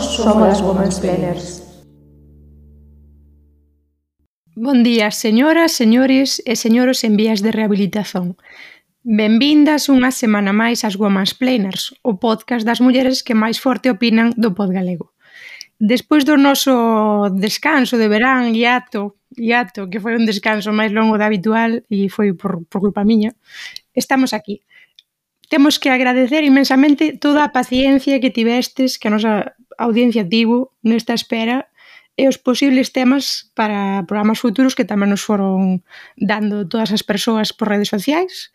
somos as Womansplainers. Bon día, señoras, señores e señoros en vías de rehabilitación. Benvindas unha semana máis ás Womansplainers, o podcast das mulleres que máis forte opinan do pod galego. Despois do noso descanso de verán, hiato, que foi un descanso máis longo do habitual e foi por culpa miña, estamos aquí. Temos que agradecer inmensamente toda a paciencia que tivestes, que a nosa audiencia tivo nesta espera e os posibles temas para programas futuros que tamén nos foron dando todas as persoas por redes sociais.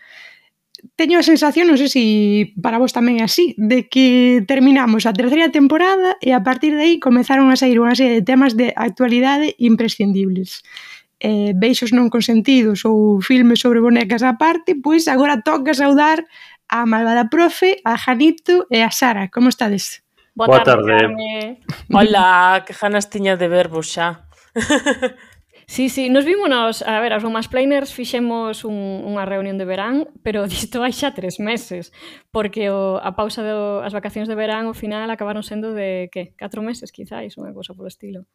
Teño a sensación, non sei se para vos tamén é así, de que terminamos a terceira temporada e a partir de aí comezaron a sair unha serie de temas de actualidade imprescindibles. Beixos non consentidos ou filmes sobre bonecas á parte, pois agora toca saudar a malvada profe, a Janito e a Sara. Como estades? Boa tarde. Carme. Hola, que ganas tiña de vervos xa. Sí, nos vímonos, a ver, as Womansplainers fixemos unha reunión de verán, pero disto hai xa 3 meses, porque a pausa das vacacións de verán ao final acabaron sendo de, 4 meses, quizáis, unha cousa polo estilo.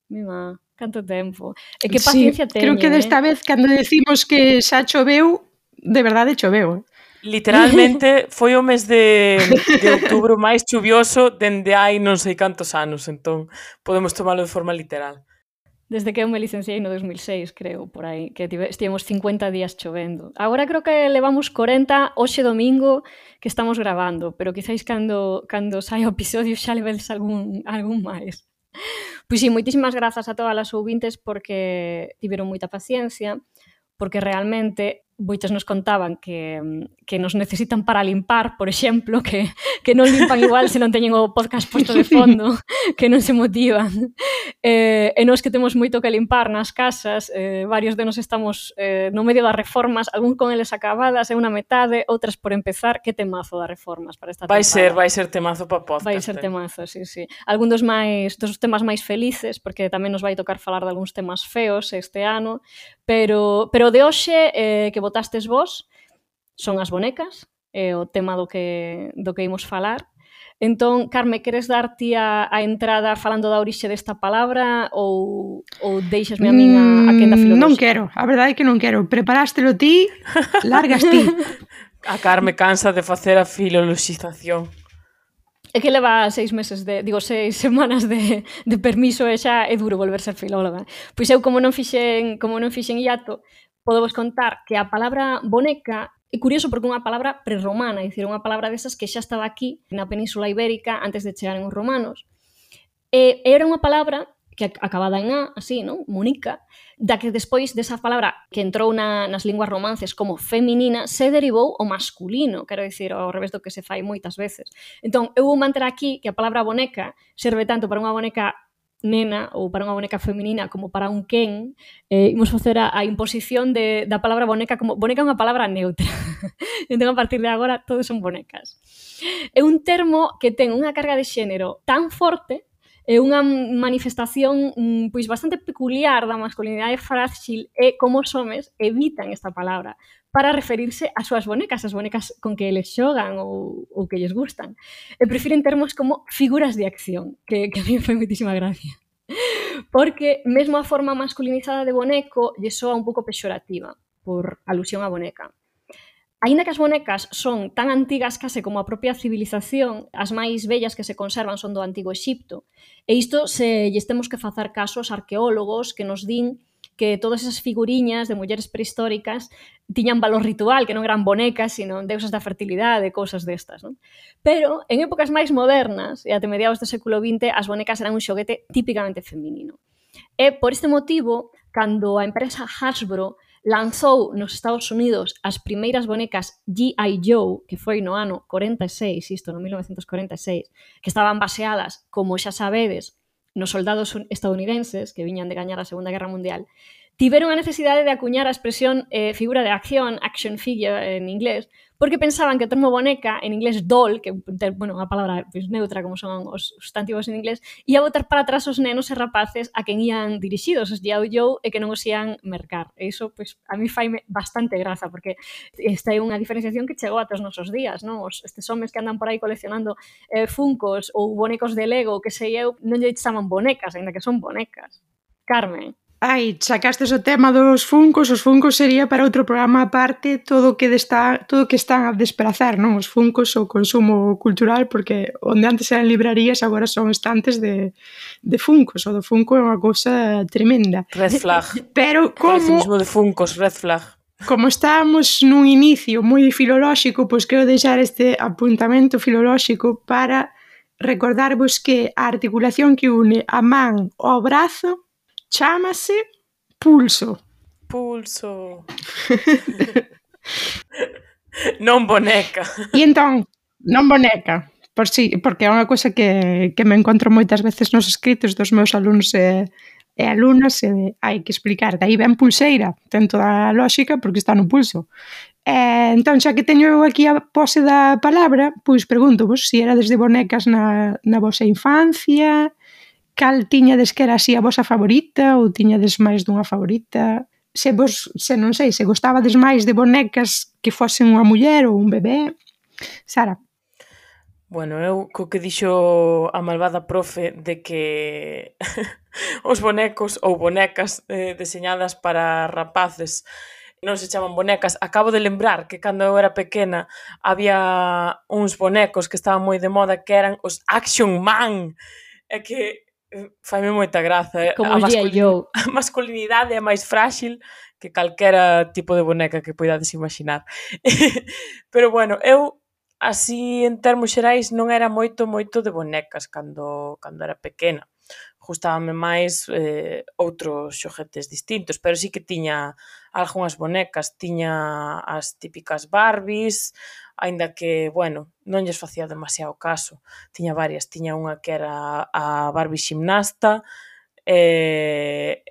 Mima, canto tempo. E que paciencia teñen, creo que desta vez, cando decimos que xa choveu, de verdade choveu. Literalmente foi o mes de outubro máis chuvioso dende hai non sei cantos anos, entón podemos tomalo de forma literal. Desde que eu me licenciei no 2006, creo, por aí, que estivemos 50 días chovendo. Agora creo que levamos 40 hoxe domingo que estamos grabando, pero quizáis cando saia o episodio xa levedes algún máis. Pois sí, moitísimas grazas a todas as ouvintes porque tiveron moita paciencia, porque realmente moitos nos contaban que nos necesitan para limpar, por exemplo, que non limpan igual se non teñen o podcast posto de fondo, que non se motivan. E nós que temos moito que limpar nas casas, varios de nos estamos no medio das reformas, algún con eles acabadas, e unha metade, outras por empezar. Que temazo das reformas para esta temporada. Vai ser temazo para podcast. Vai ser temazo, sí. Algún dos temas máis felices, porque tamén nos vai tocar falar de algúns temas feos este ano, pero de hoxe que votastes vos son as bonecas, é o tema do que imos falar. Entón, Carme, queres dar ti a entrada falando da orixe desta palabra ou deixasme a min a quenda filolóxica? Non quero, a verdade é que non quero. Preparástelo ti, largas ti. A Carme cansa de facer a filoloxización. É que leva 6 semanas de permiso e xa é duro volver ser filóloga. Pois eu, como non fixen hiato, podo vos contar que a palabra boneca é curioso porque é unha palabra prerromana, é dicir, unha palabra desas que xa estaba aquí na Península Ibérica antes de chegaren os romanos. E era unha palabra que acabada en A, así, non? Monica, da que despois desa palabra que entrou nas linguas romances como feminina, se derivou o masculino, quero dicir, ao revés do que se fai moitas veces. Entón, eu vou manter aquí que a palabra boneca serve tanto para unha boneca nena ou para unha boneca feminina como para un Ken. Imos facer a imposición da palabra boneca como boneca é unha palabra neutra. Entón, a partir de agora, todos son bonecas. É un termo que ten unha carga de xénero tan forte, é unha manifestación pois bastante peculiar da masculinidade frágil e como os homes evitan esta palabra para referirse ás súas bonecas, as bonecas con que eles xogan ou que lles gustan. E prefiren termos como figuras de acción, que a mí me foi moitísima gracia. Porque mesmo a forma masculinizada de boneco lle soa un pouco pexorativa, por alusión á boneca. Aínda que as bonecas son tan antigas case como a propia civilización, as máis bellas que se conservan son do Antigo Exipto, e isto se lles temos que facer caso aos arqueólogos que nos din que todas esas figuriñas de mulleres prehistóricas tiñan valor ritual, que non eran bonecas, sino deusas da fertilidade, cousas destas, non? Pero, en épocas máis modernas, e até mediados do século XX, as bonecas eran un xoguete típicamente feminino. E, por este motivo, cando a empresa Hasbro lanzou nos Estados Unidos as primeiras bonecas G.I. Joe, que foi no ano 46, isto no 1946, que estaban baseadas, como xa sabedes, nos soldados estadounidenses que viñan de gañar a Segunda Guerra Mundial, tiveron a necesidade de acuñar a expresión figura de acción, action figure en inglés, porque pensaban que o termo boneca, en inglés doll, que bueno, a palabra pues, neutra como son os sustantivos en inglés, ia botar para atrás os nenos e rapaces a quen ían dirixidos, os G.I. Joe, e que non os ían mercar. E iso, pues, a mí faime bastante graza, porque esta é unha diferenciación que chegou ata os nosos días, non? Estes homes que andan por aí coleccionando funcos ou bonecos de Lego, que sei eu, non lle chaman bonecas, ainda que son bonecas. Carmen. Ai, sacastes o tema dos funcos, os funcos sería para outro programa aparte todo o que están a desprazar, non? Os funcos o consumo cultural, porque onde antes eran librarías agora son estantes de funcos, o do funko é unha cousa tremenda. Red flag. Pero Coleccionismo de funcos, red flag. Como estábamos nun inicio moi filolóxico, pois quero deixar este apuntamento filolóxico para recordarvos que a articulación que une a man ao brazo chámase pulso. Pulso. Non boneca. E entón, non boneca, porque é unha cousa que me encontro moitas veces nos escritos dos meus alumnos e alumnas, e hai que explicar, daí ben pulseira, ten toda a lógica porque está no pulso. Entón, xa que teño eu aquí a pose da palabra, pois pregunto-vos se era desde bonecas na vosa infancia, cal tiñades que era así a vosa favorita ou tiñades máis dunha favorita? Se non sei, se gostabades máis de bonecas que fosen unha muller ou un bebé? Sara? Bueno, eu co que dixo a malvada profe de que os bonecos ou bonecas deseñadas para rapaces non se chaman bonecas, acabo de lembrar que cando eu era pequena había uns bonecos que estaban moi de moda que eran os Action Man, e que faime moita graza. Como os G.I. Joe. A masculinidade é máis frágil que calquera tipo de boneca que poidades imaginar. Pero bueno, eu así en termos xerais non era moito de bonecas cando era pequena. Gustábame máis outros xoguetes distintos, pero sí que tiña algunhas bonecas, tiña as típicas Barbies, aínda que, bueno, non lles facía demasiado caso. Tiña varias, tiña unha que era a Barbie ximnasta e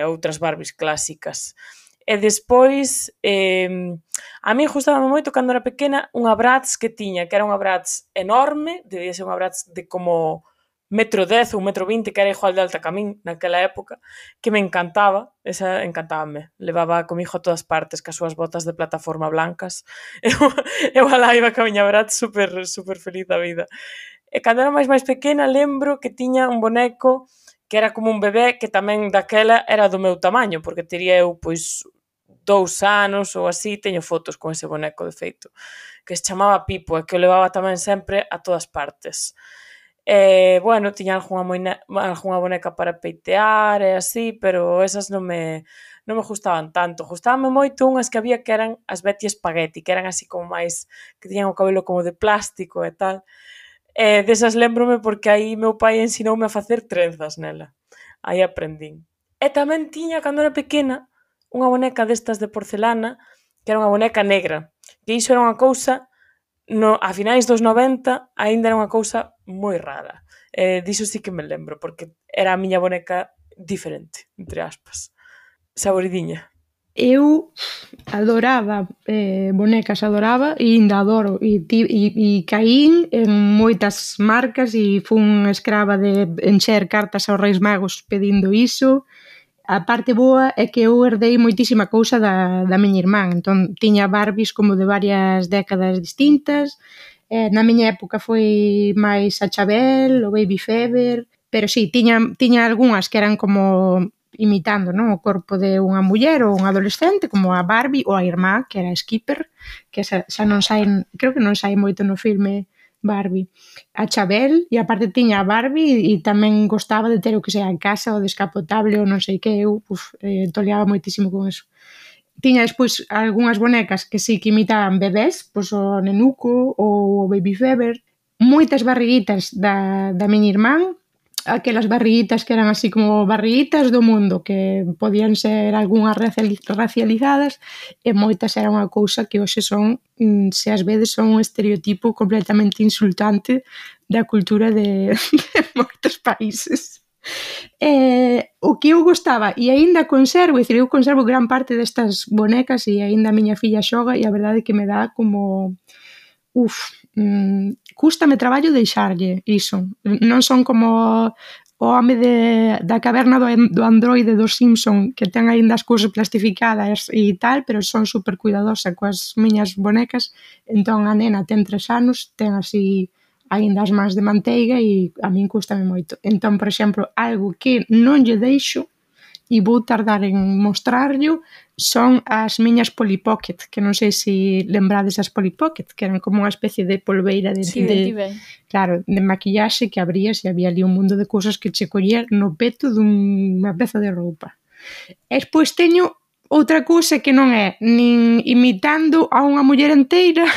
outras Barbies clásicas. E despois, a mí gustábame moito cando era pequena unha Bratz que tiña, que era unha Bratz enorme, debía ser unha Bratz de como 1,10 m ou 1,20 m, que era igual de alta que a min naquela época, que me encantaba, esa encantábame, levaba comigo a todas partes, cas súas botas de plataforma blancas, eu alá iba ca miña Bratz super feliz da vida. E cando era máis pequena lembro que tiña un boneco que era como un bebé, que tamén daquela era do meu tamaño, porque tería eu, pois, 2 anos ou así, teño fotos con ese boneco, de feito, que se chamaba Pipo, e que o levaba tamén sempre a todas partes. Bueno, tiña algunha boneca para peitear e así, pero esas non me gustaban tanto. Gustabanme moito unhas que había que eran as Betty Spaghetti, que eran así como máis, que tiñan o cabelo como de plástico e tal. Desas lembrome porque aí meu pai ensinoume a facer trenzas nela. Aí aprendín. E tamén tiña, cando era pequena, unha boneca destas de porcelana, que era unha boneca negra, que iso era unha cousa, a finais dos 90, aínda era unha cousa moi rara. Diso sí que me lembro, porque era a miña boneca diferente, entre aspas. Saboridiña. Eu adoraba bonecas, adoraba e ainda adoro, e caín en moitas marcas e fun escrava de encher cartas aos Reis Magos pedindo iso. A parte boa é que eu herdei moitísima cousa da miña irmán, entón tiña Barbies como de varias décadas distintas. Na miña época foi máis a Chabel, o Baby Fever, pero sí, tiña algunhas que eran como imitando, non, o corpo de unha muller ou un adolescente, como a Barbie ou a irmá, que era a Skipper, que xa non sai, creo que non sai moito no filme Barbie. A Chabel, e aparte tiña a Barbie e tamén gostaba de ter o que sea en casa, o descapotable ou non sei que, eu toleaba moitísimo con eso. Tiña despois algunhas bonecas que sí que imitaban bebés, pois o Nenuco ou o Baby Fever, moitas barriguitas da miña irmán, aquelas barriguitas que eran así como barriguitas do mundo, que podían ser algunhas racializadas, e moitas eran unha cousa que hoxe son, se ás veces son un estereotipo completamente insultante da cultura de moitos países. O que eu gostaba, e aínda conservo, é dicir, eu conservo gran parte destas bonecas e aínda a miña filla xoga e a verdade é que me dá como... cústame traballo deixarlle iso. Non son como o home da caverna do androide dos Simpson que ten aínda as cousas plastificadas e tal, pero son super cuidadosa coas miñas bonecas. Entón a nena ten 3 anos, ten así aínda as mans de manteiga e a min cústame moito. Entón, por exemplo, algo que non lle deixo e vou tardar en mostrarllo son as miñas Polly Pocket, que non sei se lembrades as Polly Pocket, que eran como unha especie de polveira claro, de maquillaxe que abrías e había ali un mundo de cousas que che collía no peto dunha peza de roupa. E despois teño outra cousa que non é nin imitando a unha muller inteira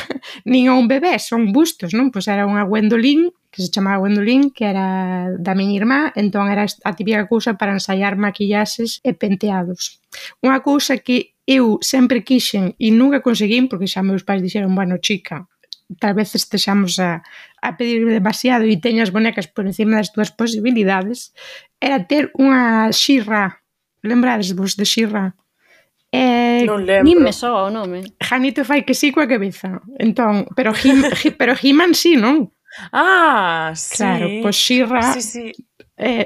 nin a un bebé, son bustos, non? Pois era unha Gwendolyn, que se chamaba Gwendolyn, que era da miña irmá, entón era a típica cousa para ensaiar maquillaxes e penteados. Unha cousa que eu sempre quixen e nunca conseguín, porque xa meus pais dixeron, bueno, chica, tal vez estexamos a pedir demasiado e teñas bonecas por encima das túas posibilidades, era ter unha She-Ra. Lembrades vos de She-Ra? Non lembro. Nin me soa o nome. Janito fai que sí coa cabeza. Entón, pero He-Man sí, non? Sí. Claro, pois She-Ra... Sí.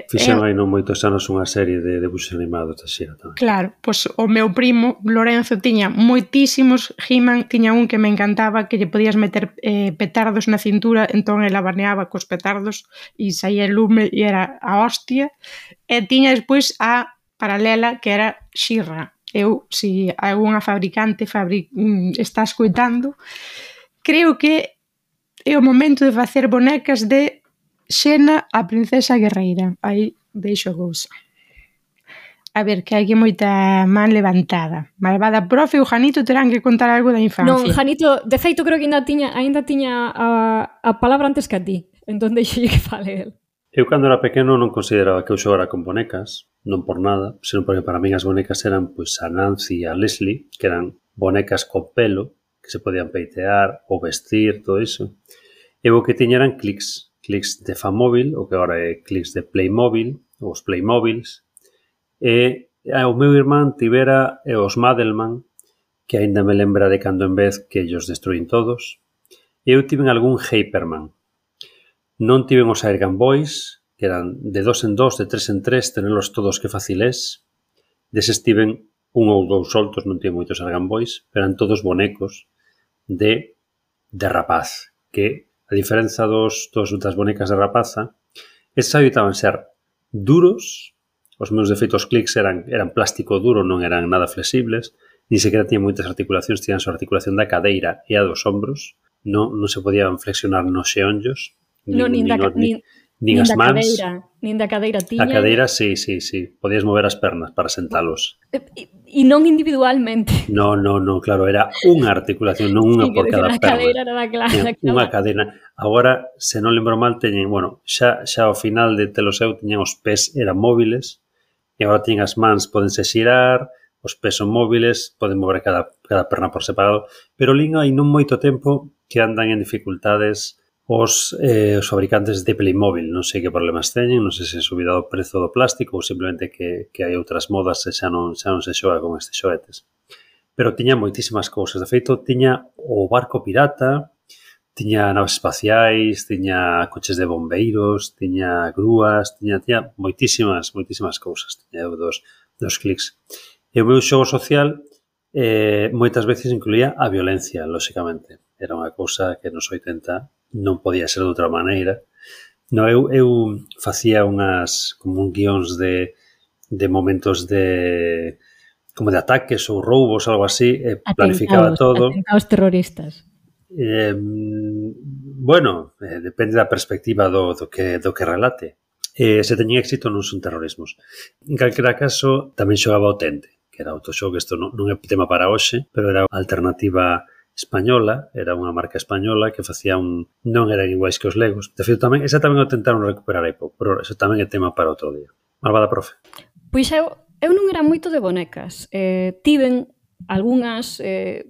Fixeron aí non moitos anos unha serie de debuxos animados da She-Ra tamén. Claro, pois o meu primo Lorenzo tiña moitísimos He-Man, tiña un que me encantaba, que lle podías meter petardos na cintura, entón el abaneaba cos petardos e saía el lume e era a hostia. E tiña despois a paralela que era She-Ra. Eu, se algunha fabricante está escoitando, creo que é o momento de facer bonecas de Xena, a princesa guerreira. Aí deixo a cousa. A ver, que hai que moita man levantada. Malvada profe, o Janito terán que contar algo da infancia. Non, Janito, de feito creo que ainda tiña a palabra antes que a ti. Entón deixolle que fale el. Eu cando era pequeno non consideraba que eu xogara con bonecas, non por nada, senón porque para min as bonecas eran pois a Nancy e a Leslie, que eran bonecas con pelo, que se podían peitear ou vestir, todo iso. E o que tiña eran clics de Famóvil, o que agora é clics de Playmobil, ou os Playmobils, e o meu irmán tivera os Madelman, que aínda me lembra de cando en vez que ellos destruín todos, e eu tiven algún Hyperman. Non tiven os Airgun Boys, que eran de 2 en 2, de 3 en 3, tenelos todos que facilés. Deses tiven un ou dous soltos, non tiven moitos Airgun Boys, pero eran todos bonecos de rapaz, que a diferenza das bonecas de rapaza, esas habitaban ser duros, os meus defeitos clics eran plástico duro, non eran nada flexibles, ni sequera tiñan moitas articulacións, tiñan a articulación da cadeira e a dos ombros, non se podían flexionar nos xeonllos, nin as mans. Nin da cadeira tiña. A cadeira, sí, podías mover as pernas para sentalos. E non individualmente. Non, claro, era unha articulación, non unha por cada perna. A cadeira era clara. Unha cadena. Agora, se non lembro mal, teñen, xa ao final de telos eu, teñen os pés eran móviles, e agora teñen as mans, podense xirar, os pés son móviles, poden mover cada perna por separado, pero lín hai non moito tempo que andan en dificultades os fabricantes de Playmobil. Non sei que problemas teñen, non sei se é subida do prezo do plástico ou simplemente que hai outras modas e xa non se xoga con estes xoetes. Pero tiña moitísimas cousas. De feito, tiña o barco pirata, tiña naves espaciais, tiña coches de bombeiros, tiña grúas, tiña moitísimas cousas. Tiña dos clics. E o meu xogo social moitas veces incluía a violencia, lóxicamente. Era unha cousa que nos 80 non podía ser de outra maneira. Eu facía como un guións de momentos como de ataques ou roubos, algo así, e planificaba todo. Atentados terroristas. Depende da perspectiva do que relate. Se teñía éxito non son terrorismos. En calquera caso, tamén xogaba o Tente, que era outro xogo, isto non é tema para hoxe, pero era alternativa española, era unha marca española que facía non eran iguais que os Legos. De feito, esa tamén o tentaron recuperar aí pouco, pero eso tamén é tema para outro día. Malvada profe. Pois eu non era moito de bonecas. Tiven algunhas,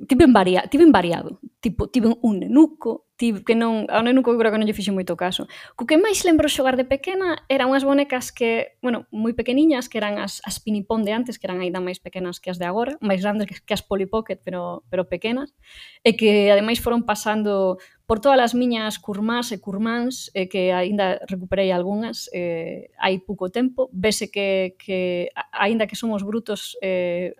tiven variado. tipo, tive un nenuco, que non, ao nenuco creo que non lle fixe moito caso. Co que máis lembro xogar de pequena eran unhas bonecas que, bueno, moi pequeniñas, que eran as Pinipón de antes, que eran aínda máis pequenas que as de agora, máis grandes que as Polly Pocket, pero pequenas, e que ademais foron pasando por todas as miñas curmás e curmáns, que aínda recuperei algunhas hai pouco tempo. Vese que aínda que somos brutos,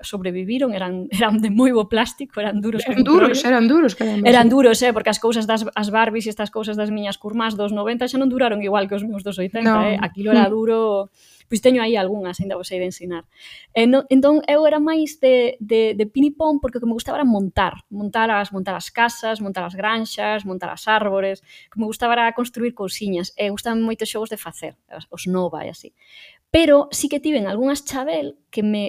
sobreviviron, eran de moi bo plástico, eran duros. Eran duros, caramba. Eran duros, porque as cousas as Barbies e estas cousas das miñas curmás dos 90 xa non duraron igual que os meus dos 80, no. Aquilo era duro. Pois teño aí algunhas, ainda vos hei de ensinar. Entón, eu era máis de Pinipón, porque o que me gustaba era montar as casas, montar as granxas, montar as árbores, que me gustaba era construir cousiñas, e gustaban moito xogos de facer, os Nova e así. Pero sí que tiven algunhas Chabel,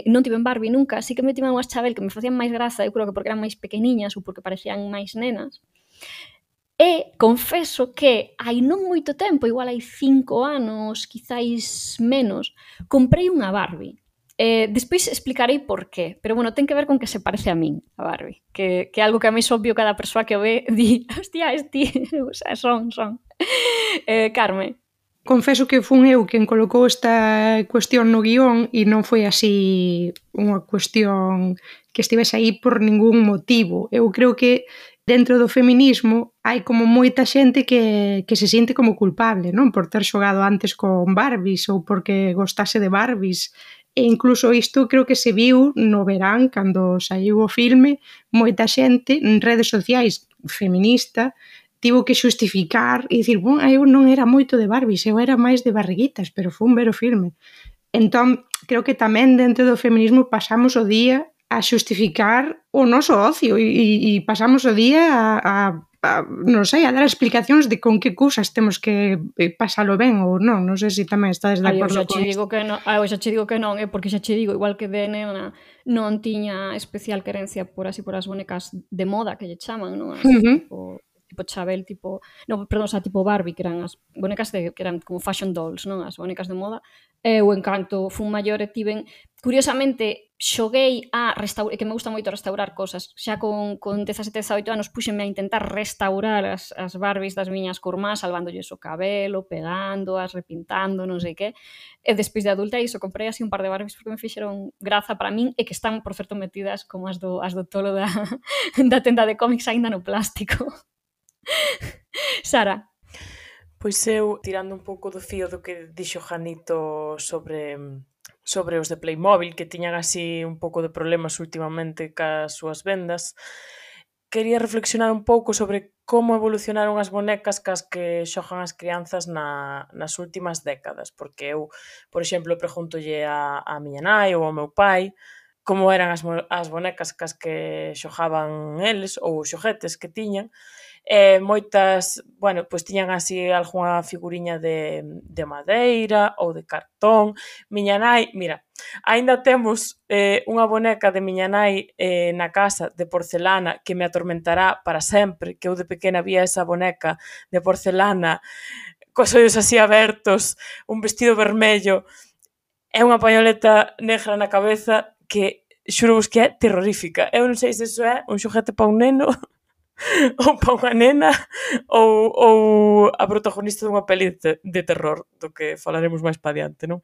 non tiven Barbie nunca, sí que me tiven algunhas Chabel que me facían máis graza, eu creo que porque eran máis pequeniñas ou porque parecían máis nenas. E confeso que hai non moito tempo, igual hai 5 anos, quizáis menos, comprei unha Barbie. Despois explicarei por qué, pero bueno, ten que ver con que se parece a min, a Barbie, que é algo que a mí é obvio, cada persoa que o ve di, hostia, o sea, son. Carme. Confeso que fun eu quen colocou esta cuestión no guión e non foi así unha cuestión que estivese aí por ningún motivo. Eu creo que dentro do feminismo hai como moita xente que se siente como culpable, non? Por ter xogado antes con Barbies ou porque gostase de Barbies. E incluso isto creo que se viu no verán, cando saiu o filme, moita xente en redes sociais feminista tivo que xustificar e dicir, eu non era moito de Barbies, eu era máis de barriguitas, pero fun ver o filme. Entón, creo que tamén dentro do feminismo pasamos o día a xustificar o noso ocio e pasamos o día a non sei, a dar explicacións de con que cousas temos que pasalo ben ou non. Non sei se tamén estades de acordo con isto. Eu xa che digo que non, porque xa che digo, igual que de nena non tiña especial querencia por as bonecas de moda que lle chaman, non? Tipo Chabel, tipo Barbie, que eran as bonecas que eran como fashion dolls, non? As bonecas de moda. O encanto fun maior e tiven, curiosamente, xoguei que me gusta moito restaurar cosas. Xa con 17, 18 anos puxenme a intentar restaurar as Barbies das miñas curmás, salvándolles o cabelo, pegándoas, repintando, non sei que. E despois de adulta iso, comprei así un par de Barbies porque me fixeron graza para min e que están, por certo, metidas como as do tolo da tenda de cómics aínda no plástico. Sara. Pois eu, tirando un pouco do fío do que dixo Janito sobre os de Playmobil, que tiñan así un pouco de problemas últimamente cas súas vendas, quería reflexionar un pouco sobre como evolucionaron as bonecas cas que xogan as crianzas nas últimas décadas, porque eu, por exemplo, preguntolle a miña nai ou ao meu pai como eran as bonecas cas que xogaban eles ou os xoguetes que tiñan. Moitas, pois tiñan así algunha figuriña de madeira ou de cartón. Miña nai, mira, aínda temos unha boneca de miña nai na casa de porcelana que me atormentará para sempre, que eu de pequena vía esa boneca de porcelana cos ollos así abertos, un vestido vermello e unha pañoleta negra na cabeza que xuro vos que é terrorífica. Eu non sei se iso é un xoguete para un neno ou para unha nena ou a protagonista dunha peli de terror, do que falaremos máis pa diante, non?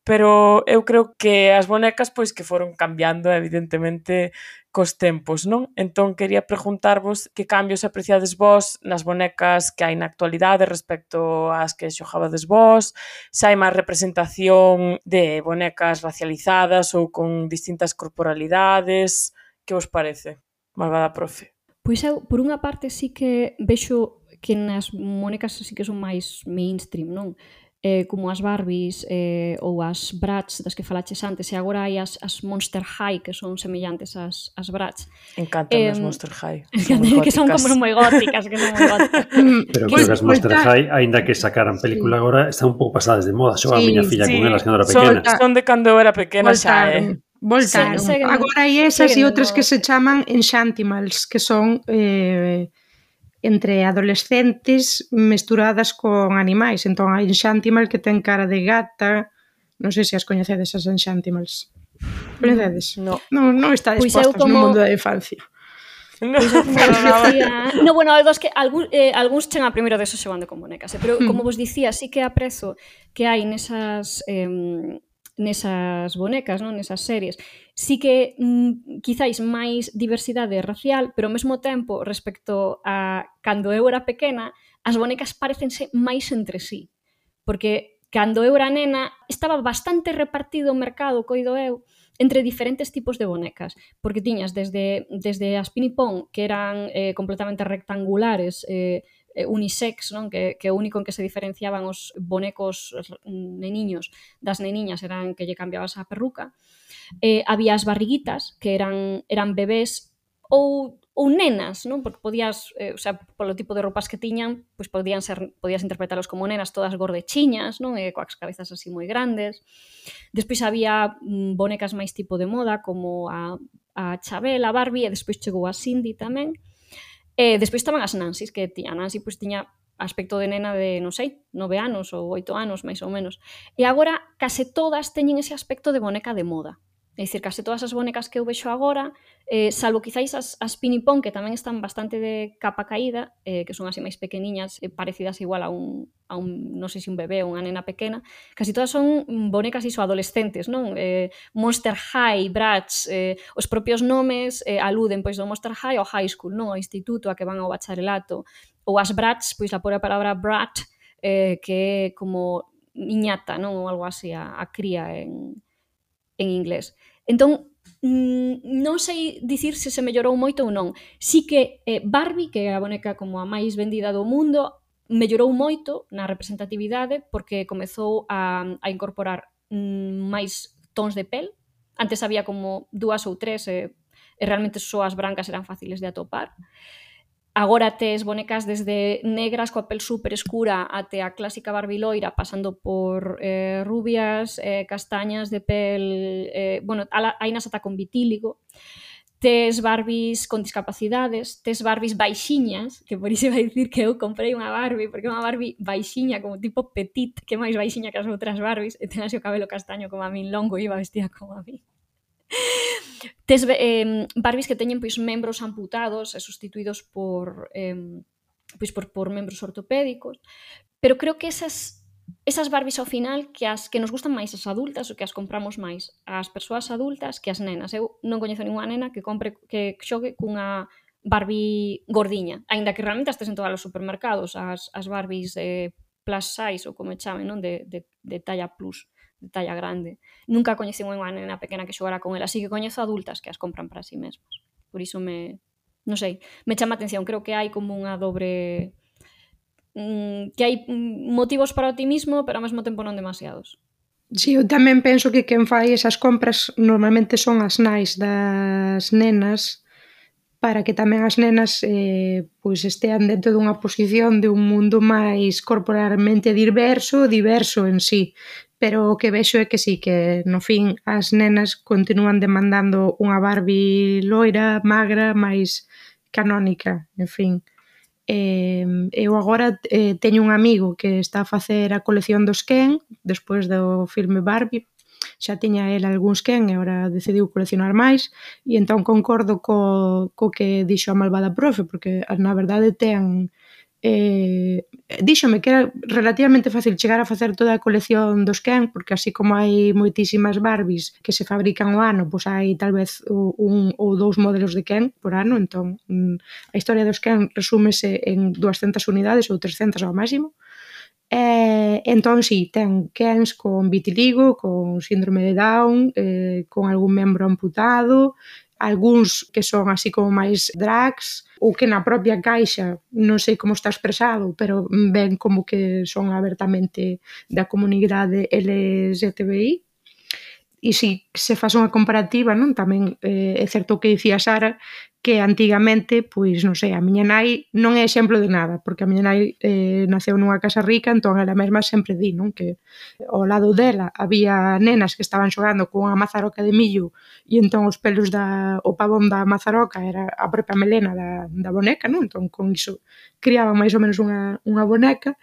Pero eu creo que as bonecas pois que foron cambiando evidentemente cos tempos, non? Entón quería preguntarvos que cambios apreciades vos nas bonecas que hai na actualidade respecto ás que xogabades vos, se hai máis representación de bonecas racializadas ou con distintas corporalidades, que vos parece? Malvada profe. Pois eu, por unha parte, sí que vexo que nas bonecas sí que son máis mainstream, non? Como as Barbies ou as Bratz das que falaches antes, e agora hai as Monster High que son semellantes ás Bratz. Encantan as Monster High. Que son como moi góticas, Pero creo que as Monster High, aínda que sacaran película agora, están un pouco pasadas de moda. Xogaba a miña filla con elas cando era pequena. Son de cando eu era pequena xa, Voltaron. Agora hai esas e outras que se chaman Enchantimals, que son entre adolescentes mesturadas con animais. Entón hai Enchantimal que ten cara de gata. Non sei se as coñecedes as Enchantimals. Coñecedes? No. Non está dispostas no mundo da infancia. No, Pois como para vos nada. dicía... No, bueno, dos que algúns chegan a primeiro deso xogando con bonecas, pero como vos dicía, sí que aprezo que hai nesas bonecas, non? Nesas series, sí que quizáis máis diversidade racial, pero ao mesmo tempo, respecto a cando eu era pequena, as bonecas parecense máis entre sí, porque cando eu era nena estaba bastante repartido o mercado, coido eu, entre diferentes tipos de bonecas, porque tiñas desde as Pinipón, que eran completamente rectangulares, unisex, non? Que o único en que se diferenciaban os bonecos neniños das neniñas eran que lle cambiabas a perruca. Había as barriguitas, que eran bebés ou nenas, non? Porque podías, o sea, polo tipo de roupas que tiñan, pois podías interpretalos como nenas todas gordechiñas, non? Coas cabezas así moi grandes. Despois había bonecas máis tipo de moda, como a Chabela, a Barbie, e despois chegou a Cindy tamén. Despois estaban as Nancys, que a Nancy pois tiña aspecto de nena de, non sei, 9 anos ou 8 anos, máis ou menos. E agora case todas teñen ese aspecto de boneca de moda. É dicir, case todas as bonecas que eu vexo agora, salvo quizáis as Pinipón, que tamén están bastante de capa caída, que son así máis pequeniñas, parecidas igual a un non sei se un bebé ou unha nena pequena, casi todas son bonecas iso adolescentes, non? Monster High, Bratz, os propios nomes aluden pois do Monster High ao High School, non? Ao instituto, a que van ao bacharelato. Ou as Bratz, pois a pura palabra brat, que é como niñata, non? Ou algo así, a cría en inglés. Entón, non sei dicir se mellorou moito ou non. Sí que Barbie, que é a boneca como a máis vendida do mundo, mellorou moito na representatividade porque comezou a incorporar máis tons de pel. Antes había como 2 ou 3 e realmente só as brancas eran fáciles de atopar. Agora tes bonecas desde negras coa pel super escura até a clásica Barbie loira, pasando por rubias, castañas de pel, bueno, hai nas ata con vitíligo. Tes Barbies con discapacidades, tes Barbies baixiñas, que por iso vai dicir que eu comprei unha Barbie, porque é unha Barbie baixiña, como tipo petit, que é máis baixiña que as outras Barbies, e ten así o cabelo castaño como a min longo e iba vestida como a min. Tes Barbies que teñen pois membros amputados e sustituídos por membros ortopédicos, pero creo que esas Barbies ao final que nos gustan máis as adultas ou que as compramos máis as persoas adultas que as nenas. Eu non coñezo ninguna nena que xogue cunha Barbie gordiña, aínda que realmente as tes en todos os supermercados, as Barbies plus size ou como chamen, non? De talla plus, de talla grande. Nunca coñecín unha nena pequena que xogara con ela, así que coñezo adultas que as compran para si mesmas. Por iso non sei, me chama a atención, creo que hai como unha dobre que hai motivos para o optimismo, pero ao mesmo tempo non demasiados. Sí, eu tamén penso que quen fai esas compras normalmente son as nais das nenas, para que tamén as nenas pois estean dentro dunha posición de un mundo máis corporalmente diverso en sí. Pero o que vexo é que sí, que no fin as nenas continúan demandando unha Barbie loira, magra, máis canónica, en fin. Eu agora teño un amigo que está a facer a colección dos Ken, despois do filme Barbie, xa tiña el algúns Ken e agora decidiu coleccionar máis, e entón concordo co que dixo a malvada profe, porque na verdade ten díxome que era relativamente fácil chegar a facer toda a colección dos Ken, porque así como hai moitísimas Barbies que se fabrican ao ano, pois hai tal vez un ou dous modelos de Ken por ano, entón a historia dos Ken resúmese en 200 unidades ou 300 ao máximo. Entón, sí, ten Kens con vitiligo, con síndrome de Down, con algún membro amputado, algúns que son así como máis drags, ou que na propia caixa, non sei como está expresado, pero ven como que son abertamente da comunidade LGTBI. E si se faz unha comparativa, non? Tamén é certo o que dicía Sara, que antigamente, pois, non sei, a miña nai non é exemplo de nada, porque a miña nai naceu nunha casa rica, entón ela mesma sempre di, non? Que ao lado dela había nenas que estaban xogando con unha mazaroca de millo e entón os pelos o pavón da mazaroca era a propia melena da boneca, non? Entón con iso criaban máis ou menos unha boneca.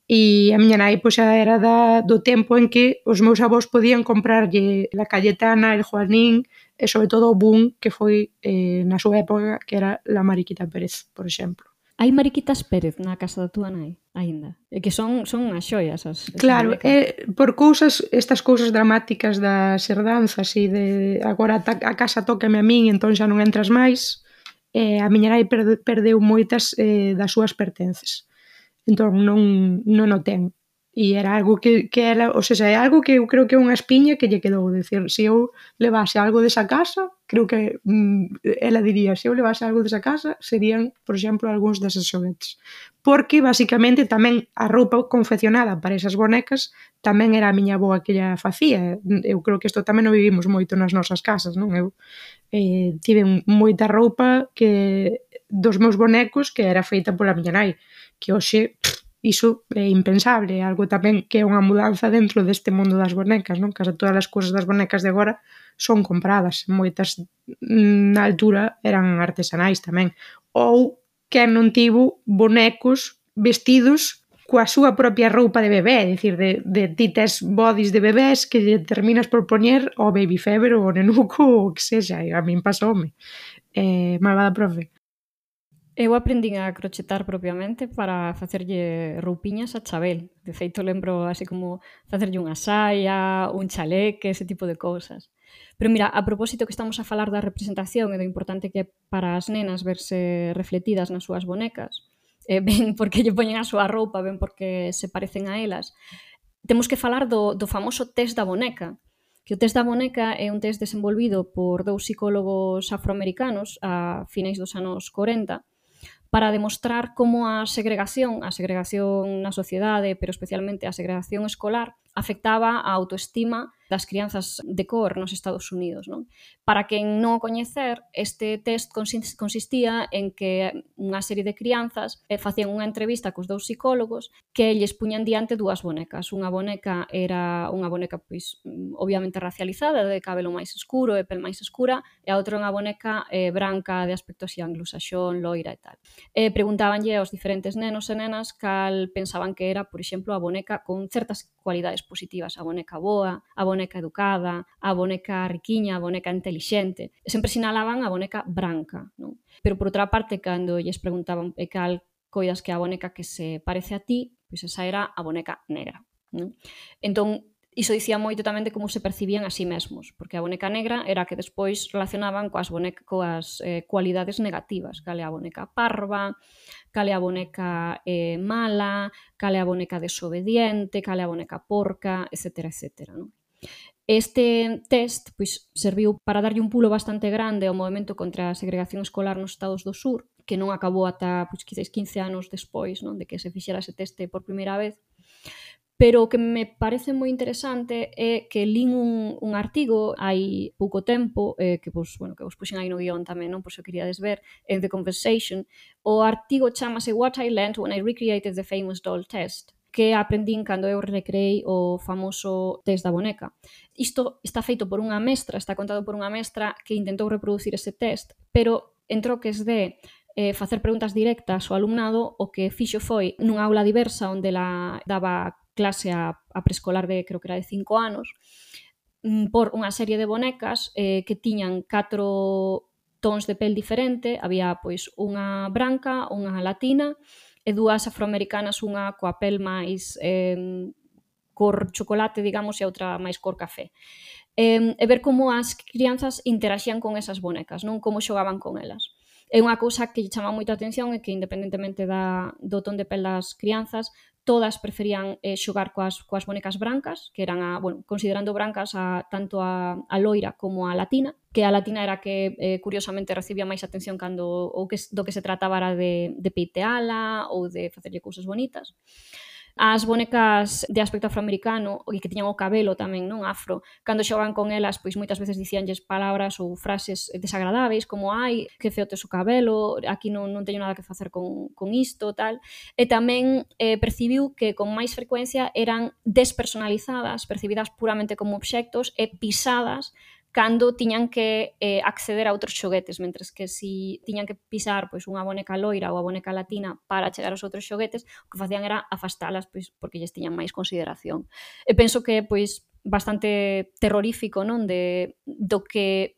E a miña nai pois, xa era do tempo en que os meus avós podían comprarlle la Cayetana, el Juanín, e sobre todo o boom que foi na súa época, que era la Mariquita Pérez, por exemplo. Hai Mariquitas Pérez na casa da túa nai, aínda. E que son as xoias, as Claro, bonecas. por estas cousas dramáticas das herdanzas e de agora a casa tócame a min, entón xa non entras máis, a miña nai perdeu moitas das súas pertences. Entón non o ten. E era algo que era, ou seja, é algo que eu creo que é unha espiña que lle quedou, decir, se eu levase algo desa casa, creo que ela diría, se eu levase algo desa casa, serían, por exemplo, algúns deses xoguetes. Porque, basicamente, tamén a roupa confeccionada para esas bonecas tamén era a miña avoa que lla facía. Eu creo que isto tamén o vivimos moito nas nosas casas, non? Eu tive moita roupa dos meus bonecos que era feita pola miña nai, que hoxe iso é impensable, é algo tamén que é unha mudanza dentro deste mundo das bonecas, non? Case todas as cousas das bonecas de agora son compradas, moitas na altura eran artesanais tamén. Ou quen non tivo bonecos vestidos coa súa propia roupa de bebé, é dicir, de ti tes bodys de bebés que lle terminas por poñer o baby fever ou o nenuco ou o que sexa, e a min pasoume. Malvada profe. Eu aprendín a crochetar propiamente para facerlle roupiñas a Chabel. De feito, lembro así como facerlle unha saia, un chaleque, ese tipo de cousas. Pero mira, a propósito que estamos a falar da representación e do importante que é para as nenas verse refletidas nas súas bonecas, ben porque lle poñen a súa roupa, ben porque se parecen a elas, temos que falar do famoso test da boneca, que o test da boneca é un test desenvolvido por 2 psicólogos afroamericanos a finais dos anos 40, para demostrar como a segregación na sociedade, pero especialmente a segregación escolar, afectaba a autoestima das crianzas de cor nos Estados Unidos, non? Para quen non o coñecer, este test consistía en que unha serie de crianzas facían unha entrevista cos 2 psicólogos que lles puñan diante 2 bonecas. Unha boneca era unha boneca, pois, obviamente racializada, de cabelo máis escuro e pel máis escura, e a outra unha boneca branca de aspecto así anglosaxón, loira e tal. Preguntábanlle aos diferentes nenos e nenas cal pensaban que era, por exemplo, a boneca con certas cualidades positivas, a boneca boa, a boneca educada, a boneca riquiña, a boneca intelixente. E sempre sinalaban a boneca branca, non? Pero, por outra parte, cando lles preguntaban cal coidas que a boneca que se parece a ti, pois esa era a boneca negra, non? Entón, iso dicía moito tamén de como se percibían a sí mesmos, porque a boneca negra era a que despois relacionaban coas cualidades negativas, cal é a boneca parva, cal é a boneca mala, cal é a boneca desobediente, cal é a boneca porca, etc. etc. Non? Este test pois, serviu para darlle un pulo bastante grande ao movimento contra a segregación escolar nos Estados do Sur, que non acabou ata pois, quizás 15 anos despois, non, de que se fixera ese teste por primeira vez. Pero o que me parece moi interesante é que lín un artigo hai pouco tempo, que vos puxen aí no guión tamén, non? Por se o queríades ver, en The Conversation. O artigo chamase What I Learned When I Recreated the Famous Doll Test, que aprendín cando eu recreei o famoso test da boneca. Isto está feito por unha mestra, está contado por unha mestra que intentou reproducir ese test, pero en troques de facer preguntas directas ao alumnado, o que fixo foi nunha aula diversa onde ela daba clase a preescolar de, creo que era de 5 anos, por unha serie de bonecas que tiñan 4 tons de pel diferente, había pois unha branca, unha latina e 2 afroamericanas, unha coa pel máis cor chocolate, digamos, e a outra máis cor café. E ver como as crianzas interaxían con esas bonecas, non como xogaban con elas. É unha cousa que lle chama moita atención e que, independentemente do ton de pel das crianzas, todas preferían xogar coas bonecas brancas, que eran, considerando brancas tanto a loira como a latina, que a latina era que, curiosamente, recibía máis atención cando do que se trataba era de peiteala ou de facerlle cousas bonitas. As bonecas de aspecto afroamericano e que tiñan o cabelo tamén non afro, cando xogaban con elas, pois moitas veces dicíanlles palabras ou frases desagradáveis como ai, que feo tes o cabelo, aquí non teño nada que facer con isto, tal. E tamén percibiu que con máis frecuencia eran despersonalizadas, percibidas puramente como obxectos e pisadas cando tiñan que acceder a outros xoguetes, mentres que si tiñan que pisar pois unha boneca loira ou a boneca latina para chegar aos outros xoguetes, o que facían era afastalas pois porque lles tiñan máis consideración. E penso que pois bastante terrorífico, non? Do que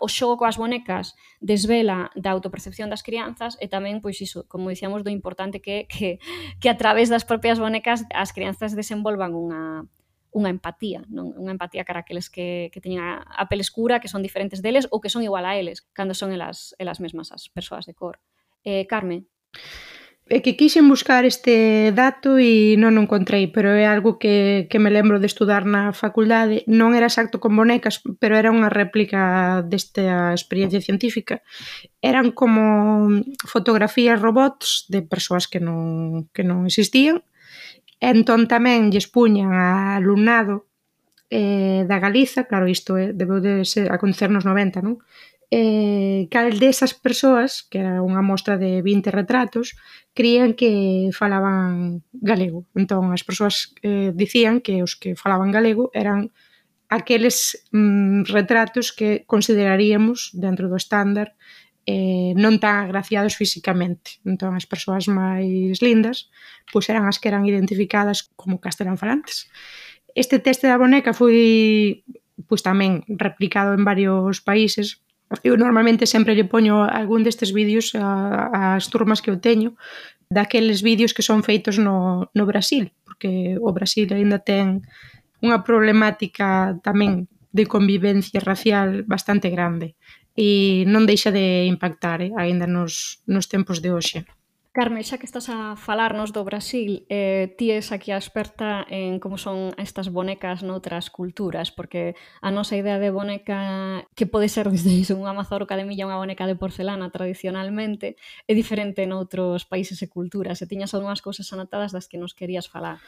o xogo coas bonecas desvela da autopercepción das crianzas e tamén, pois iso, como dicíamos, do importante que a través das propias bonecas as crianzas desenvolvan unha empatía, non? Unha empatía cara aqueles que teñen a pele escura, que son diferentes deles ou que son igual a eles, cando son elas mesmas as persoas de cor. Carme? É que quixen buscar este dato e non o encontrei, pero é algo que me lembro de estudar na facultade. Non era exacto con bonecas, pero era unha réplica desta experiencia científica. Eran como fotografías robots de persoas que non existían. Entón tamén lles puñan a alumnado da Galiza, claro, isto debeu de acontecer nos 90, non? Cal desas persoas, que era unha mostra de 20 retratos, crían que falaban galego. Entón, as persoas dicían que os que falaban galego eran aqueles retratos que consideraríamos dentro do estándar non tan agraciados físicamente. Entón, as persoas máis lindas pois eran as que eran identificadas como castelán falantes. Este teste da boneca foi pois tamén replicado en varios países. Eu normalmente sempre lle poño algún destes vídeos ás turmas que eu teño, daqueles vídeos que son feitos no Brasil, porque o Brasil aínda ten unha problemática tamén de convivencia racial bastante grande e non deixa de impactar aínda nos tempos de hoxe. Carme, xa que estás a falarnos do Brasil, ti és aquí a experta en como son estas bonecas noutras culturas, porque a nosa idea de boneca, que pode ser desde iso, unha mazorca de milla, unha boneca de porcelana tradicionalmente, é diferente noutros países e culturas. E tiñas algunhas cousas anotadas das que nos querías falar.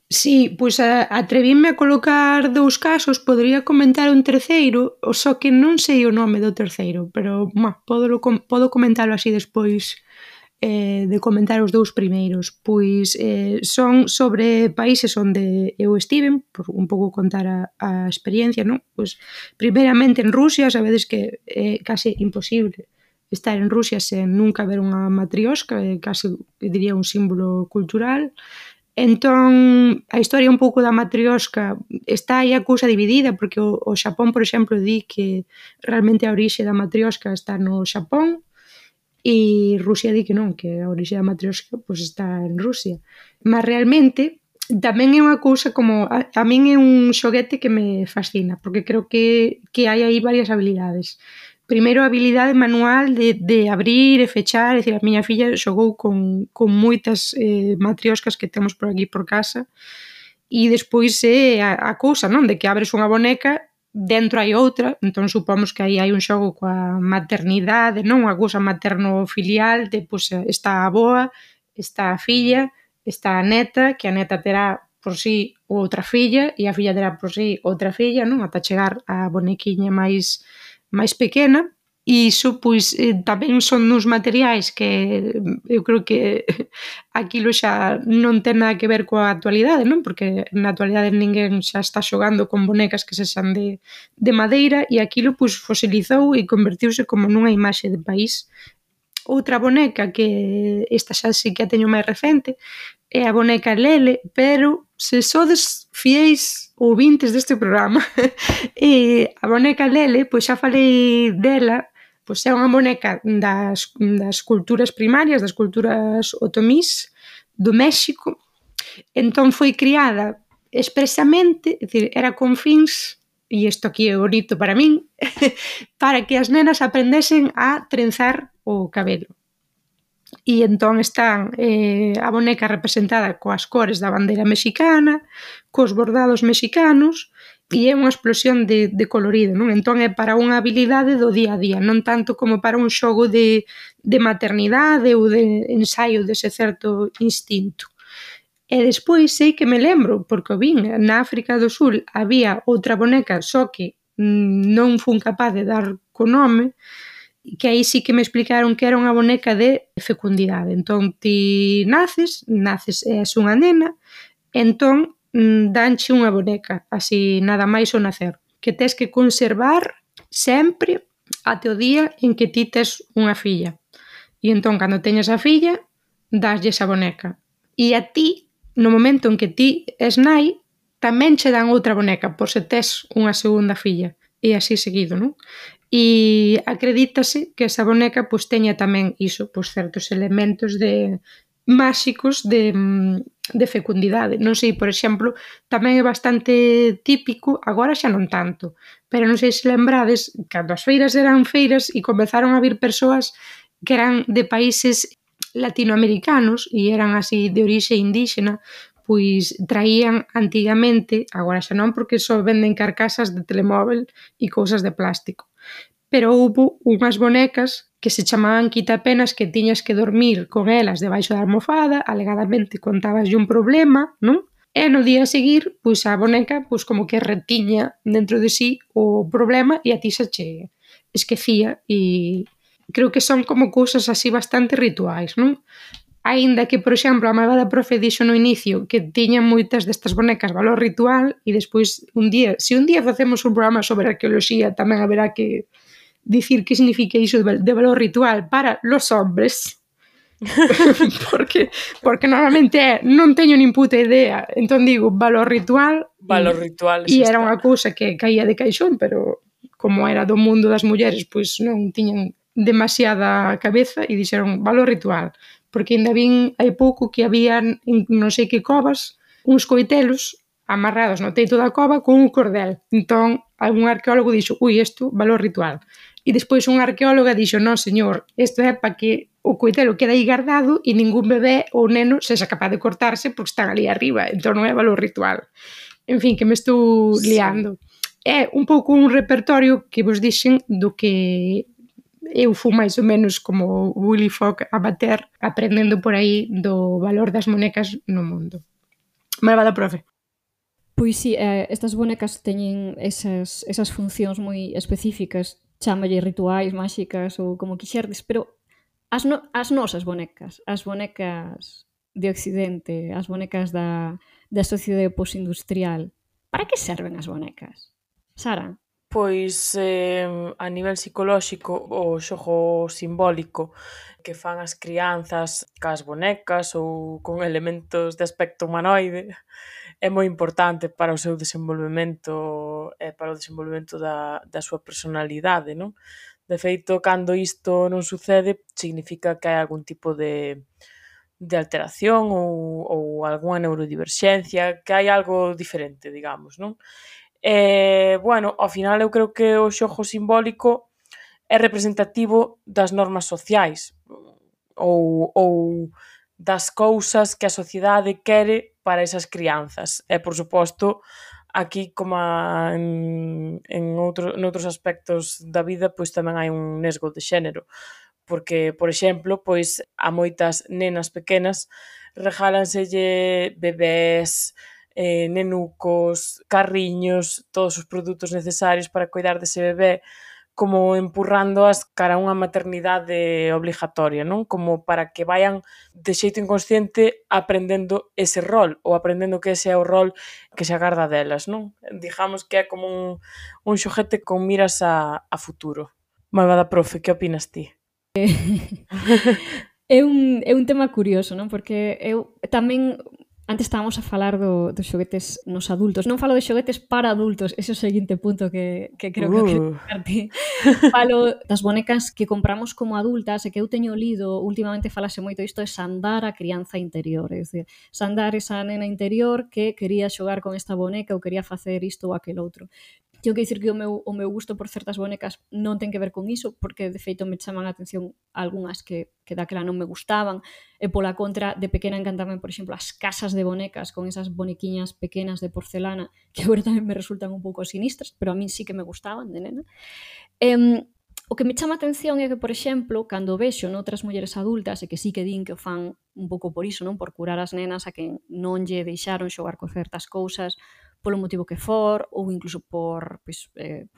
Sí, pois atrevíme a colocar 2 casos, podría comentar un terceiro, só que non sei o nome do terceiro, pero podo comentalo así despois de comentar os 2 primeiros. Pois son sobre países onde eu estiven, por un pouco contar a experiencia, non? Pois primeiramente en Rusia, sabedes que é case imposible estar en Rusia sen nunca ver unha matriosca, é case, diría, un símbolo cultural. Entón, a historia un pouco da matriosca está aí a cousa dividida, porque o Xapón, por exemplo, di que realmente a orixe da matriosca está no Xapón, e Rusia di que non, que a orixe da matriosca pois está en Rusia. Mas realmente tamén é unha cousa como a min é un xoguete que me fascina, porque creo que hai aí varias habilidades. Primeiro, a habilidade manual de abrir e fechar, é dicir, a miña filla xogou con moitas matrioscas que temos por aquí por casa, e despois é a cousa, non, de que abres unha boneca, dentro hai outra, entón supomos que aí hai un xogo coa maternidade, non? Unha cousa materno-filial, de, pois, está a avoa, está a filla, está a neta, que a neta terá por sí outra filla, e a filla terá por sí outra filla, non? Ata chegar á bonequiña máis pequena. E iso, pois, tamén son uns materiais que eu creo que aquilo xa non ten nada que ver coa actualidade, non? Porque na actualidade ninguén xa está xogando con bonecas que sexan de madeira, e aquilo, pois, fosilizou e convertiuse como nunha imaxe de país. Outra boneca, que esta xa sí que a teño máis recente, é a boneca Lele, pero se sodes fieis ouvintes deste programa, a boneca Lele, pois xa falei dela, pois é unha boneca das culturas primarias, das culturas otomís do México. Entón foi criada expresamente, é dicir, era con fins, e isto aquí é bonito para min, para que as nenas aprendesen a trenzar o cabelo. E entón están a boneca representada coas cores da bandeira mexicana, cos bordados mexicanos, e é unha explosión de colorido, non? Entón é para unha habilidade do día a día, non tanto como para un xogo de maternidade ou de ensaio dese certo instinto. E despois sei que me lembro, porque o vin, na África do Sul había outra boneca, só que non fun capaz de dar co nome, que aí sí que me explicaron que era unha boneca de fecundidade. Entón ti naces e és unha nena, entón danche unha boneca, así nada máis ao nacer, que tes que conservar sempre até o día en que ti tes unha filla. E entón, cando teñas a filla, daslle esa boneca. E a ti, no momento en que ti és nai, tamén che dan outra boneca por se tes unha segunda filla, e así seguido, non? E acredítase que esa boneca pois teña tamén iso, pois certos elementos máxicos de fecundidade. Non sei, por exemplo, tamén é bastante típico, agora xa non tanto, pero non sei se lembrades, cando as feiras eran feiras e comezaron a vir persoas que eran de países latinoamericanos e eran así de orixe indíxena, pois traían antigamente, agora xa non porque só venden carcasas de telemóvel e cousas de plástico, pero houbo unhas bonecas que se chamaban quitapenas que tiñas que dormir con elas debaixo da almofada, alegadamente contabaslle un problema, non? E no día a seguir, pois a boneca pois como que retiña dentro de sí o problema e a ti se che esquecía e creo que son como cousas así bastante rituais, non? Aínda que, por exemplo, a malvada profe dixo no inicio que tiñan moitas destas bonecas valor ritual e despois se un día facemos un programa sobre arqueoloxía tamén haberá que dicir que significa iso de valor ritual para los hombres porque normalmente non teño nin puta idea, entón digo valor ritual e era unha cousa que caía de caixón, pero como era do mundo das mulleres pois non tiñan demasiada cabeza e dixeron valor ritual, porque ainda vin hai pouco que habían non sei que covas uns coitelos amarrados no teito da cova con un cordel, entón algún arqueólogo dixo, isto valor ritual, e despois unha arqueóloga dixo, non señor, isto é para que o coitelo quede aí guardado e ningún bebé ou neno sexa capaz de cortarse porque están ali arriba, entón non é valor ritual. En fin, que me estou liando. É un pouco un repertorio que vos dixen do que eu fui máis ou menos como Willy Fogg amateur aprendendo por aí do valor das bonecas no mundo. Malvada profe. Pois sí, estas bonecas teñen esas funcións moi específicas, chámalle rituais, máxicas ou como quixerdes, pero as nosas bonecas, as bonecas de Occidente, as bonecas da sociedade postindustrial, para que serven as bonecas? Sara? Pois a nivel psicolóxico o xogo simbólico que fan as crianzas cas bonecas ou con elementos de aspecto humanoide é moi importante para o seu desenvolvemento e para o desenvolvemento da súa personalidade, non? De feito, cando isto non sucede, significa que hai algún tipo de alteración ou algunha neurodiverxencia, que hai algo diferente, digamos, non? Bueno, ao final eu creo que o xogo simbólico é representativo das normas sociais ou das cousas que a sociedade quere para esas crianzas. E, por suposto, aquí, como noutros aspectos da vida, pois tamén hai un nesgo de xénero. Porque, por exemplo, pois a moitas nenas pequenas regálanselle bebés, nenucos, carriños, todos os produtos necesarios para cuidar dese bebé, como empurrándoas cara a unha maternidade obligatoria, non? Como para que vayan de xeito inconsciente aprendendo ese rol ou aprendendo que ese é o rol que se agarda delas, non? Digamos que é como un xoguete con miras a futuro. Malvada profe, que opinas ti? É un tema curioso, non? Porque eu tamén antes estábamos a falar dos xoguetes nos adultos. Non falo de xoguetes para adultos, ese é o seguinte punto que creo que acreditarte. Falo das bonecas que compramos como adultas e que eu teño lido, últimamente falase moito isto, é sandar a crianza interior. É dicir, sandar esa nena interior que quería xogar con esta boneca ou quería facer isto ou aquel outro. Tengo que dicir que o meu gusto por certas bonecas non ten que ver con iso, porque de feito me chaman a atención algunhas que daquela non me gustaban, e pola contra, de pequena encantaban, por exemplo, as casas de bonecas con esas bonequiñas pequenas de porcelana, que agora tamén me resultan un pouco sinistras, pero a min sí que me gustaban de nena. O que me chama a atención é que, por exemplo, cando vexo noutras mulleres adultas, e que sí que din que o fan un pouco por iso, non? Por curar as nenas a que non lle deixaron xogar con certas cousas, polo motivo que for, ou incluso por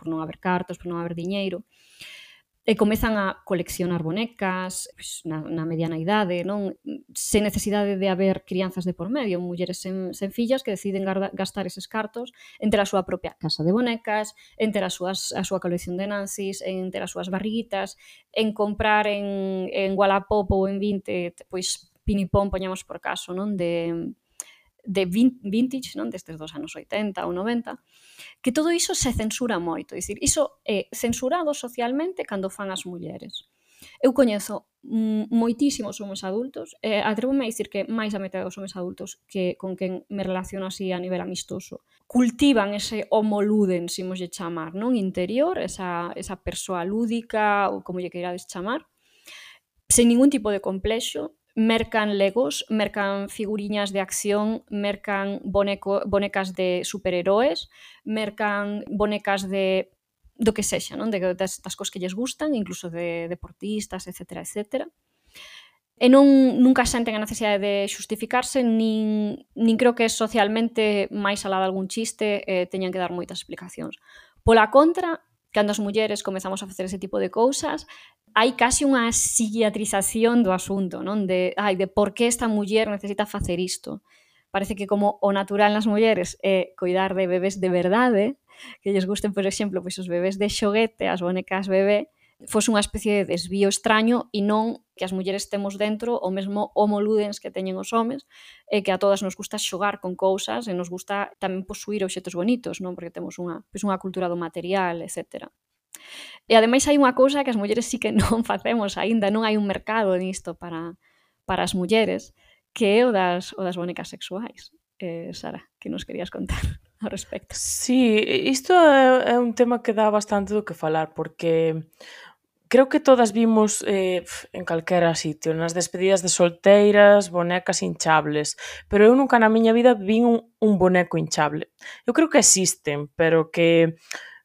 non haber cartos, por non haber diñeiro, e comezan a coleccionar bonecas na mediana idade, non? Sen necesidade de haber crianzas de por medio, mulleres sen fillas que deciden gastar eses cartos en ter a súa propia casa de bonecas, en ter a súa colección de Nancys, en ter as súas barriguitas, en comprar en Wallapop ou en 20, pois pinipón, poñamos por caso, non? De vintage, non, destes dos anos 80 ou 90, que todo iso se censura moito. É dicir, iso é censurado socialmente cando fan as mulleres. Eu coñezo moitísimos homens adultos, atrevo-me a dicir que máis a metade dos homens adultos que con quen me relaciono así a nivel amistoso cultivan ese homo ludens, imoslle chamar, non, interior, esa persoa lúdica ou como lle queirades chamar, sen ningún tipo de complexo. Mercan legos, mercan figuriñas de acción, mercan bonecas de superheroes, mercan bonecas de do que sexa, non? Das cosas que lles gustan, incluso de deportistas, etc. E nunca senten a necesidade de xustificarse, nin creo que socialmente, máis alá de algún chiste, teñan que dar moitas explicacións. Pola contra, cando as mulleres comezamos a facer ese tipo de cousas, hai casi unha psiquiatrización do asunto, non? De por que esta muller necesita facer isto. Parece que como o natural nas mulleres é coidar de bebés de verdade, que lles gusten, por exemplo, pois os bebés de xoguete, as bonecas bebé, fose unha especie de desvío extraño e non que as mulleres temos dentro o mesmo homo ludens que teñen os homes, e que a todas nos gusta xogar con cousas e nos gusta tamén posuir obxetos bonitos, non? Porque temos unha cultura do material, etc. E ademais hai unha cousa que as mulleres sí que non facemos aínda, non hai un mercado nisto para as mulleres, que é o das bonecas sexuais. Sara, que nos querías contar ao respecto? Sí, isto é un tema que dá bastante do que falar, porque creo que todas vimos en calquera sitio, nas despedidas de solteiras, bonecas hinchables, pero eu nunca na miña vida vin un boneco hinchable. Eu creo que existen, pero que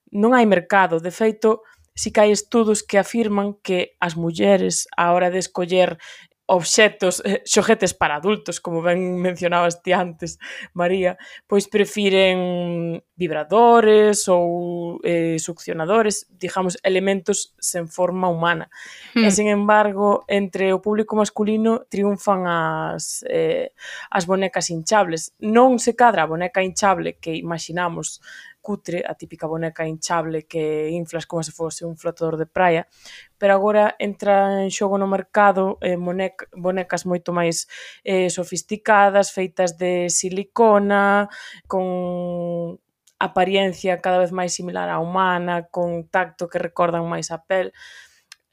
non hai mercado. De feito, si que hai estudos que afirman que as mulleres, á hora de escoller obxetos, xoguetes para adultos, como ben mencionabas ti antes, María, pois prefiren vibradores ou succionadores, digamos, elementos sen forma humana. E, sen embargo, entre o público masculino triunfan as bonecas hinchables. Non se cadra a boneca hinchable que imaginamos cutre, a típica boneca hinchable que inflas como se fose un flotador de praia, pero agora entra en xogo no mercado bonecas moito máis sofisticadas, feitas de silicona, con apariencia cada vez máis similar á humana, con tacto que recordan máis a pel.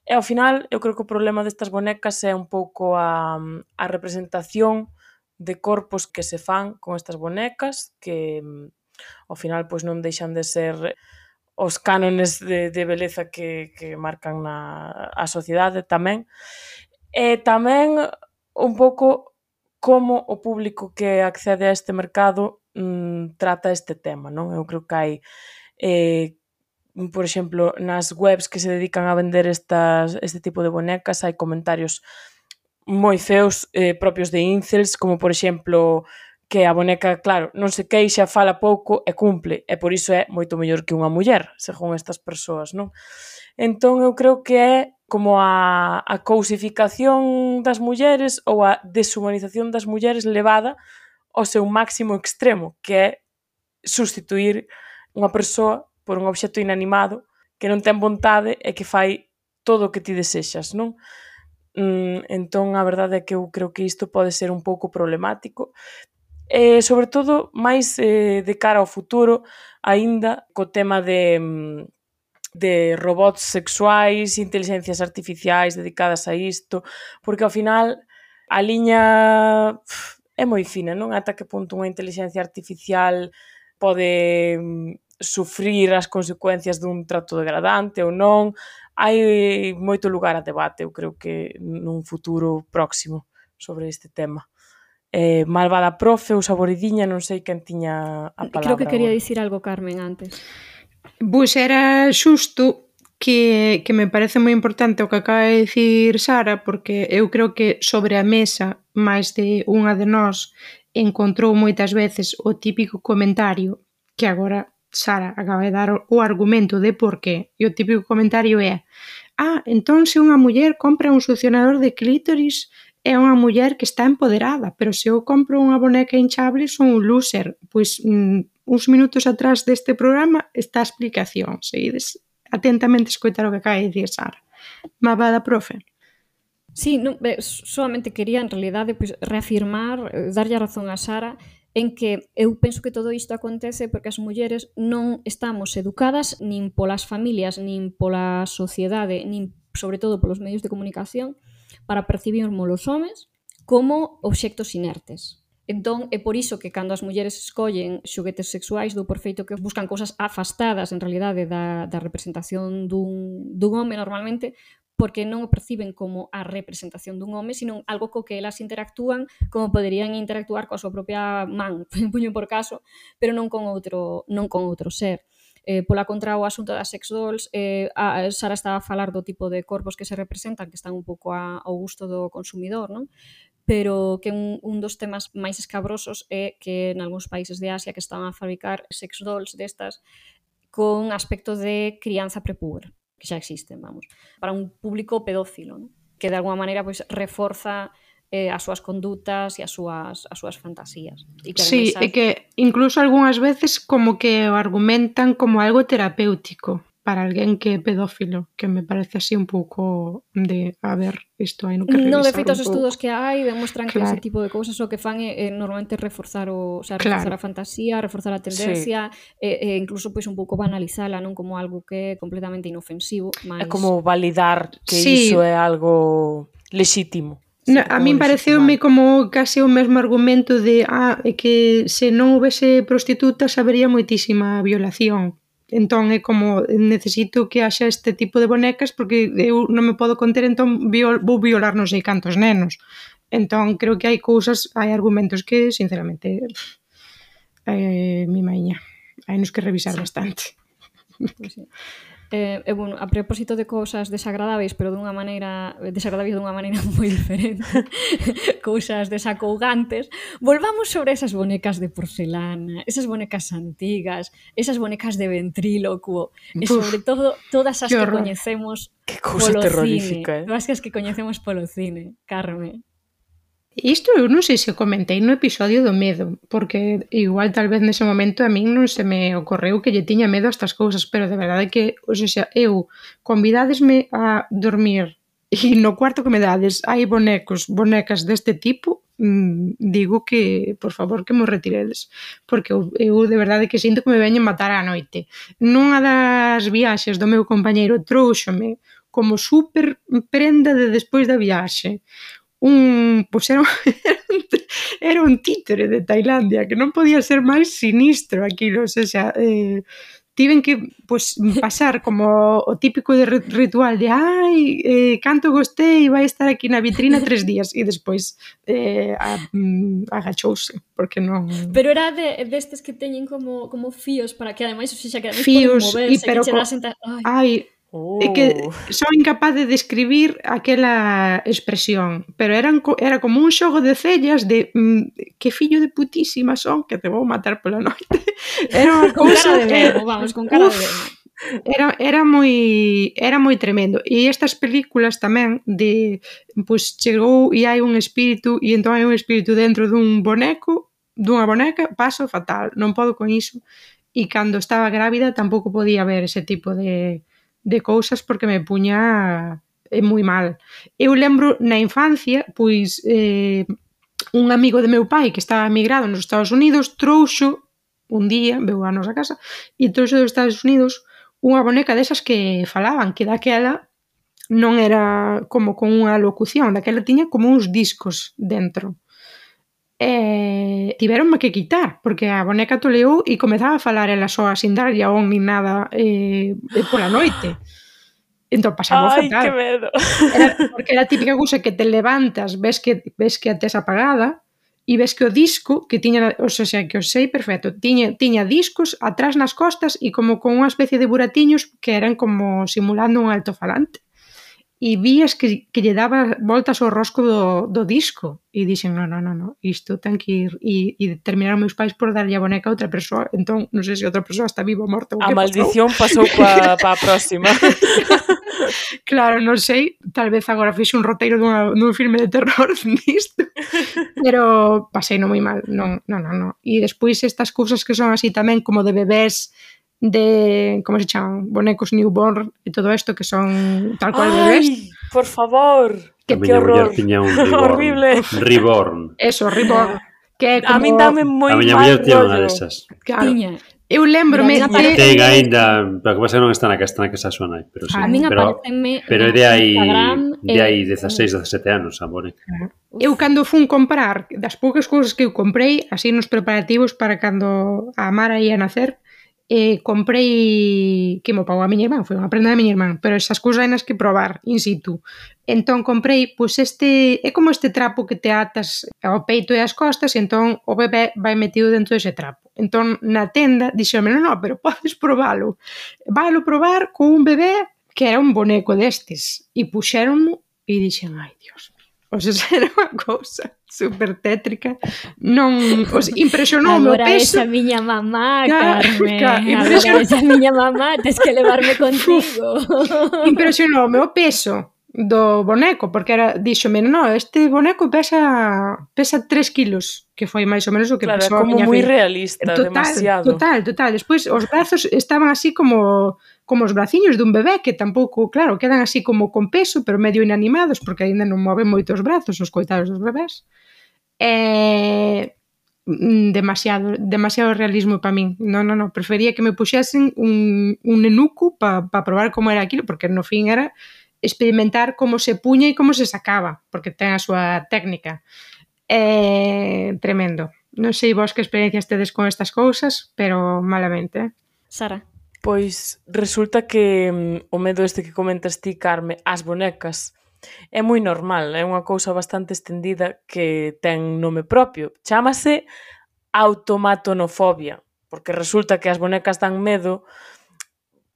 E ao final, eu creo que o problema destas bonecas é un pouco a representación de corpos que se fan con estas bonecas, que ao final pois non deixan de ser os cánones de beleza que marcan a sociedade tamén. E tamén un pouco como o público que accede a este mercado trata este tema, non? Eu creo que hai, por exemplo, nas webs que se dedican a vender este tipo de bonecas, hai comentarios moi feos propios de incels, como por exemplo que a boneca, claro, non se queixa, fala pouco e cumple, e por iso é moito mellor que unha muller, según estas persoas, non? Entón, eu creo que é como a cousificación das mulleres ou a deshumanización das mulleres levada ao seu máximo extremo, que é substituir unha persoa por un obxecto inanimado que non ten vontade e que fai todo o que ti desexas, non? Entón, a verdade é que eu creo que isto pode ser un pouco problemático, sobre todo máis de cara ao futuro, aínda co tema de robots sexuais, inteligencias artificiais dedicadas a isto, porque ao final a liña é moi fina, non? Ata que punto unha inteligencia artificial pode sufrir as consecuencias dun trato degradante ou non. Hai moito lugar a debate, eu creo que nun futuro próximo sobre este tema. Malvada profe ou saboridiña, non sei quen tiña a palabra. Creo que quería dicir algo Carmen antes. Pois era xusto que me parece moi importante o que acaba de dicir Sara, porque eu creo que sobre a mesa máis de unha de nós encontrou moitas veces o típico comentario que agora Sara acaba de dar o argumento de por qué, e o típico comentario é entón se unha muller compra un succionador de clítoris é unha muller que está empoderada, pero se eu compro unha boneca hinchable son un loser. Pois uns minutos atrás deste programa está a explicación. Seguides atentamente escoitar o que acaba de dicir Sara. Malvada profe. Sí, solamente quería en realidade pois, reafirmar, darlle a razón a Sara en que eu penso que todo isto acontece porque as mulleres non estamos educadas nin polas familias, nin pola sociedade, nin sobre todo polos medios de comunicación para percibirmos os homes como obxectos inertes. Entón, é por iso que cando as mulleres escollen xoguetes sexuais do por feito que buscan cousas afastadas en realidade da representación dun home normalmente, porque non o perciben como a representación dun home, sino algo co que elas interactúan como poderían interactuar coa súa propia man, puño por caso, pero non con outro ser. Pola contra, o asunto das sex dolls, Sara estaba a falar do tipo de corpos que se representan, que están un pouco ao gusto do consumidor, non? Pero que un dos temas máis escabrosos é que en algúns países de Asia que están a fabricar sex dolls destas con aspecto de crianza prepúber, que xa existen, vamos, para un público pedófilo, ¿no? Que de alguma maneira pois, reforza as súas condutas e as súas fantasías. E que, sí, é que incluso algunhas veces como que o argumentan como algo terapéutico para alguén que é pedófilo, que me parece así un pouco de, a ver, isto hai no que revisar. No, de feito, os estudos que hai demostran claro. que ese tipo de cousas o que fan é normalmente reforzar reforzar a fantasía, reforzar a tendencia, e incluso pois un pouco banalizala, non como algo que é completamente inofensivo, É mas como validar que iso é algo lexítimo. No, a min pareceume como case o mesmo argumento de que se non houvese prostitutas habería moitísima violación. Entón é como necesito que haxa este tipo de bonecas porque eu non me podo conter, entón vou violar non sei cantos nenos. Entón creo que hai argumentos que sinceramente mi maiña, hai nos que revisar bastante. Pues sí. Bueno, a propósito de cousas desagradáveis, pero dunha maneira moi diferente, cousas desacougantes, volvamos sobre esas bonecas de porcelana, esas bonecas antigas, esas bonecas de ventrílocuo, e sobre todo todas as que coñecemos polo cine. Todas as que coñecemos polo cine, Carme. Isto eu non sei se comentei no episodio do medo, porque igual tal vez nese momento a min non se me ocorreu que lle tiña medo a estas cousas, pero de verdade que, eu convidádesme a dormir e no cuarto que me dades hai bonecas deste tipo, digo que, por favor, que mo retiredes, porque eu de verdade que sinto que me veñen matar á noite. Nunha das viaxes do meu compañeiro trouxome como super prenda de despois da viaxe era un títere de Tailandia, que non podía ser máis sinistro aquilo, tiven que pasar como o típico de ritual de canto gostei, vai estar aquí na vitrina 3 días e despois agachouse porque non... Pero era destes que teñen como fíos para que ademais que ademais poden moverse, que che senta... É que son incapaz de describir aquela expresión, pero era como un xogo de cellas de que fillo de putísima son que te vou matar pola noite. Era unha cousa de verbo, vamos, con cara de verbo. Era moi tremendo. E estas películas tamén chegou e hai un espírito e entón hai un espírito dentro dun boneco, dunha boneca, paso fatal, non podo con iso. E cando estaba grávida tampouco podía ver ese tipo de cousas porque me puña moi mal. Eu lembro na infancia, un amigo de meu pai que estaba emigrado nos Estados Unidos trouxo un día, veu a nosa casa e trouxo dos Estados Unidos unha boneca desas que falaban, que daquela non era como con unha locución, daquela tiña como uns discos dentro. Tiveronme que quitar porque a boneca toleou e comezaba a falar ela soa sin darlle a on nin nada pola noite. Entón pasaba fatal. Ai, que medo. Porque era a típica cousa que te levantas, ves que a tes apagada e ves que o disco que tiña, que o sei perfecto, tiña discos atrás nas costas e como con unha especie de buratiños que eran como simulando un altofalante. E vías que lle daba voltas ao rosco do disco e dixen, non, isto ten que ir e terminaron meus pais por darlle a boneca a outra persoa, entón non sei se outra persoa está viva ou morta ou que pasou. A maldición pasou pa a próxima. Claro, non sei, tal vez agora fixe un roteiro dun filme de terror nisto, pero pasei non moi mal, non. E despois estas cousas que son así tamén como de bebés, de, como se chaman, bonecos newborn e todo isto que son tal cual bebés. Ai, por favor, que horror. Tiña un horrible. Reborn. Eso, Reborn. Que é A min como... dame moi A miña mal muller tiña unha rollo. desas. Claro, Tiña. eu lembrome Mira, a min de... Ten aínda, pero que pasa que non está na casa da súa nai, pero sí. A min Pero aparecenme é no de aí Instagram, 16, 17 anos, a boneca. Eu cando fun comprar, das poucas cousas que eu comprei, así nos preparativos para cando a Mara ia nacer, comprei, que mo pagou a miña irmán, foi unha prenda da miña irmán, pero esas cousas hai nas que probar in situ. Entón comprei, pois é como este trapo que te atas ao peito e as costas, e entón o bebé vai metido dentro dese trapo. Entón na tenda dixeme, non, pero podes probalo. Valo probar con un bebé que era un boneco destes. E puxéronmo e dixen, ai, Dios mío. O sea, era unha cousa super tétrica. Non, impresionoume o Agora peso. esa miña mamá, Claro, Carmen. claro, Agora esa miña mamá, tes que levarme contigo. Impresionoume o peso do boneco, porque díxome, no, este boneco pesa 3 kilos, que foi máis ou menos o que Claro, é pesou a como miña moi filla. realista, demasiado. Total. Despois os brazos estaban así como os braciños dun bebé, que tampouco, claro, quedan así como con peso, pero medio inanimados, porque aínda non moven moito os brazos, os coitados dos bebés. Demasiado realismo para min. Non, prefería que me puxesen un nenuco para probar como era aquilo, porque no fin era experimentar como se puña e como se sacaba, porque ten a súa técnica. Tremendo. Non sei vos que experiencias tedes con estas cousas, pero malamente. Sara. Pois resulta que o medo este que comentas ti, Carme, as bonecas, é moi normal, é unha cousa bastante estendida que ten nome propio. Chámase automatonofobia, porque resulta que as bonecas dan medo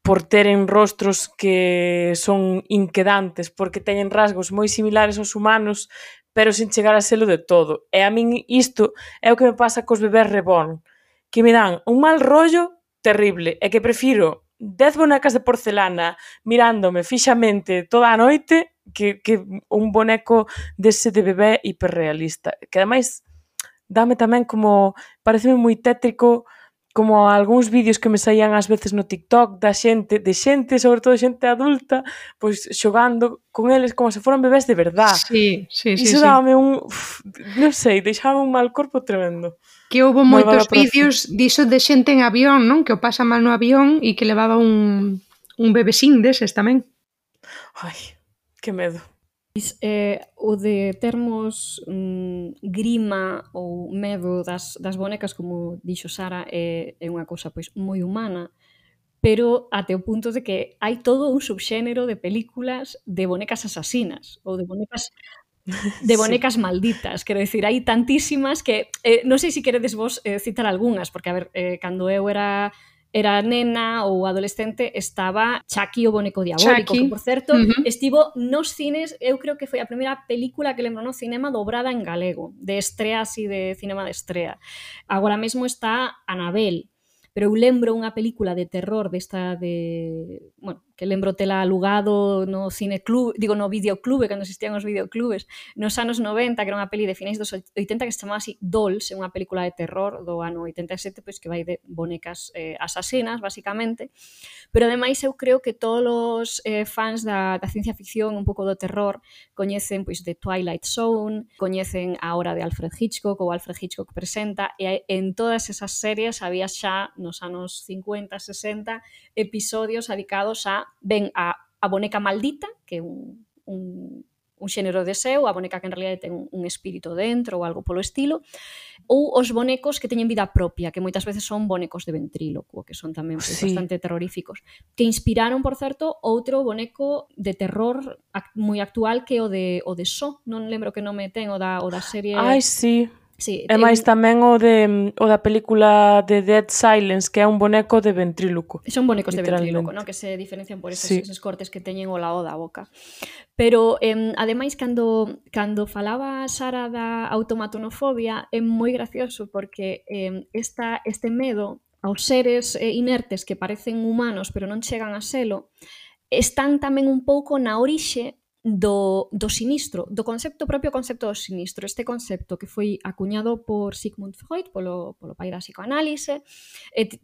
por teren rostros que son inquedantes, porque teñen rasgos moi similares aos humanos, pero sin chegar a selo de todo. E a min isto é o que me pasa cos bebés reborn, que me dan un mal rollo terrible, e que prefiro 10 bonecas de porcelana mirándome fixamente toda a noite que un boneco dese de bebé hiperrealista. Que ademais dame tamén como, pareceme moi tétrico, como algúns vídeos que me saían ás veces no TikTok de xente, sobre todo xente adulta, pois xogando con eles como se foran bebés de verdad. Sí. Iso dábame non sei, deixaba un mal corpo tremendo. Que houve moitos vídeos diso de xente en avión, non? Que o pasa mal no avión e que levaba un bebesín deses tamén. Ai, que medo. O de termos grima ou medo das bonecas, como dixo Sara, é unha cousa pois moi humana, pero até o punto de que hai todo un subxénero de películas de bonecas asasinas ou de bonecas malditas, quero dicir, hai tantísimas que non sei se queredes vos citar algunhas, porque a ver, cando eu era nena ou adolescente estaba Chucky o boneco diabólico, que por certo estivo nos cines, eu creo que foi a primeira película que lembro no cinema dobrada en galego, de estrea así de cinema de estrea. Agora mesmo está Anabel, pero eu lembro unha película de terror que lembro tela alugado no cineclub, no videoclube, cando existían os videoclubes, nos anos 90, que era unha peli de finais dos 80 que se chamaba así Dolls, é unha película de terror do ano 87, pois que vai de bonecas asasinas, basicamente, pero ademais eu creo que todos os fans da ciencia ficción, un pouco do terror, coñecen pois The Twilight Zone, coñecen A Hora de Alfred Hitchcock ou Alfred Hitchcock Presenta, e en todas esas series había xa nos anos 50, 60 episodios dedicados a boneca maldita, que é un xénero de seu, a boneca que en realidad ten un espírito dentro ou algo polo estilo, ou os bonecos que teñen vida propia, que moitas veces son bonecos de ventrílocuo, que son tamén bastante terroríficos, que inspiraron, por certo, outro boneco de terror moi actual que o de Saw, non lembro que nome ten, o da serie... Ai, sí. Sí, e máis tamén o da película de Dead Silence, que é un boneco de ventríloco. Son bonecos de ventríloco, ¿no? Que se diferencian por esos cortes que teñen ao lado da boca. Pero, ademais, cando falaba Sara da automatonofobia, é moi gracioso porque este medo aos seres inertes que parecen humanos pero non chegan a selo, están tamén un pouco na orixe do sinistro, do propio concepto do sinistro, este concepto que foi acuñado por Sigmund Freud, polo pai da psicoanálise,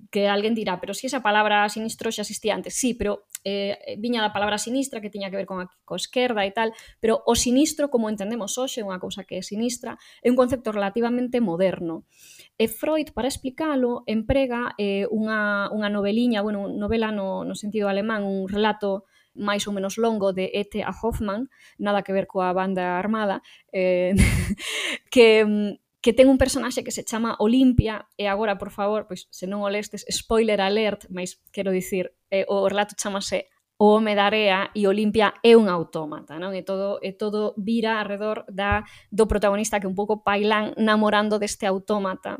que alguén dirá, pero si esa palabra sinistro xa existía antes, sí, pero viña da palabra sinistra, que tiña que ver con a esquerda e tal, pero o sinistro, como entendemos hoxe, unha cousa que é sinistra, é un concepto relativamente moderno. E Freud, para explicalo, emprega unha noveliña, bueno, novela no sentido alemán, un relato máis ou menos longo de E.T.A. Hoffmann, nada que ver coa banda armada, que ten un personaxe que se chama Olimpia, e agora, por favor, pois, se non o lestes, spoiler alert, mas quero dicir, o relato chamase O home da area e Olimpia é un autómata, non? E todo vira alrededor do protagonista que é un pouco pailán namorando deste autómata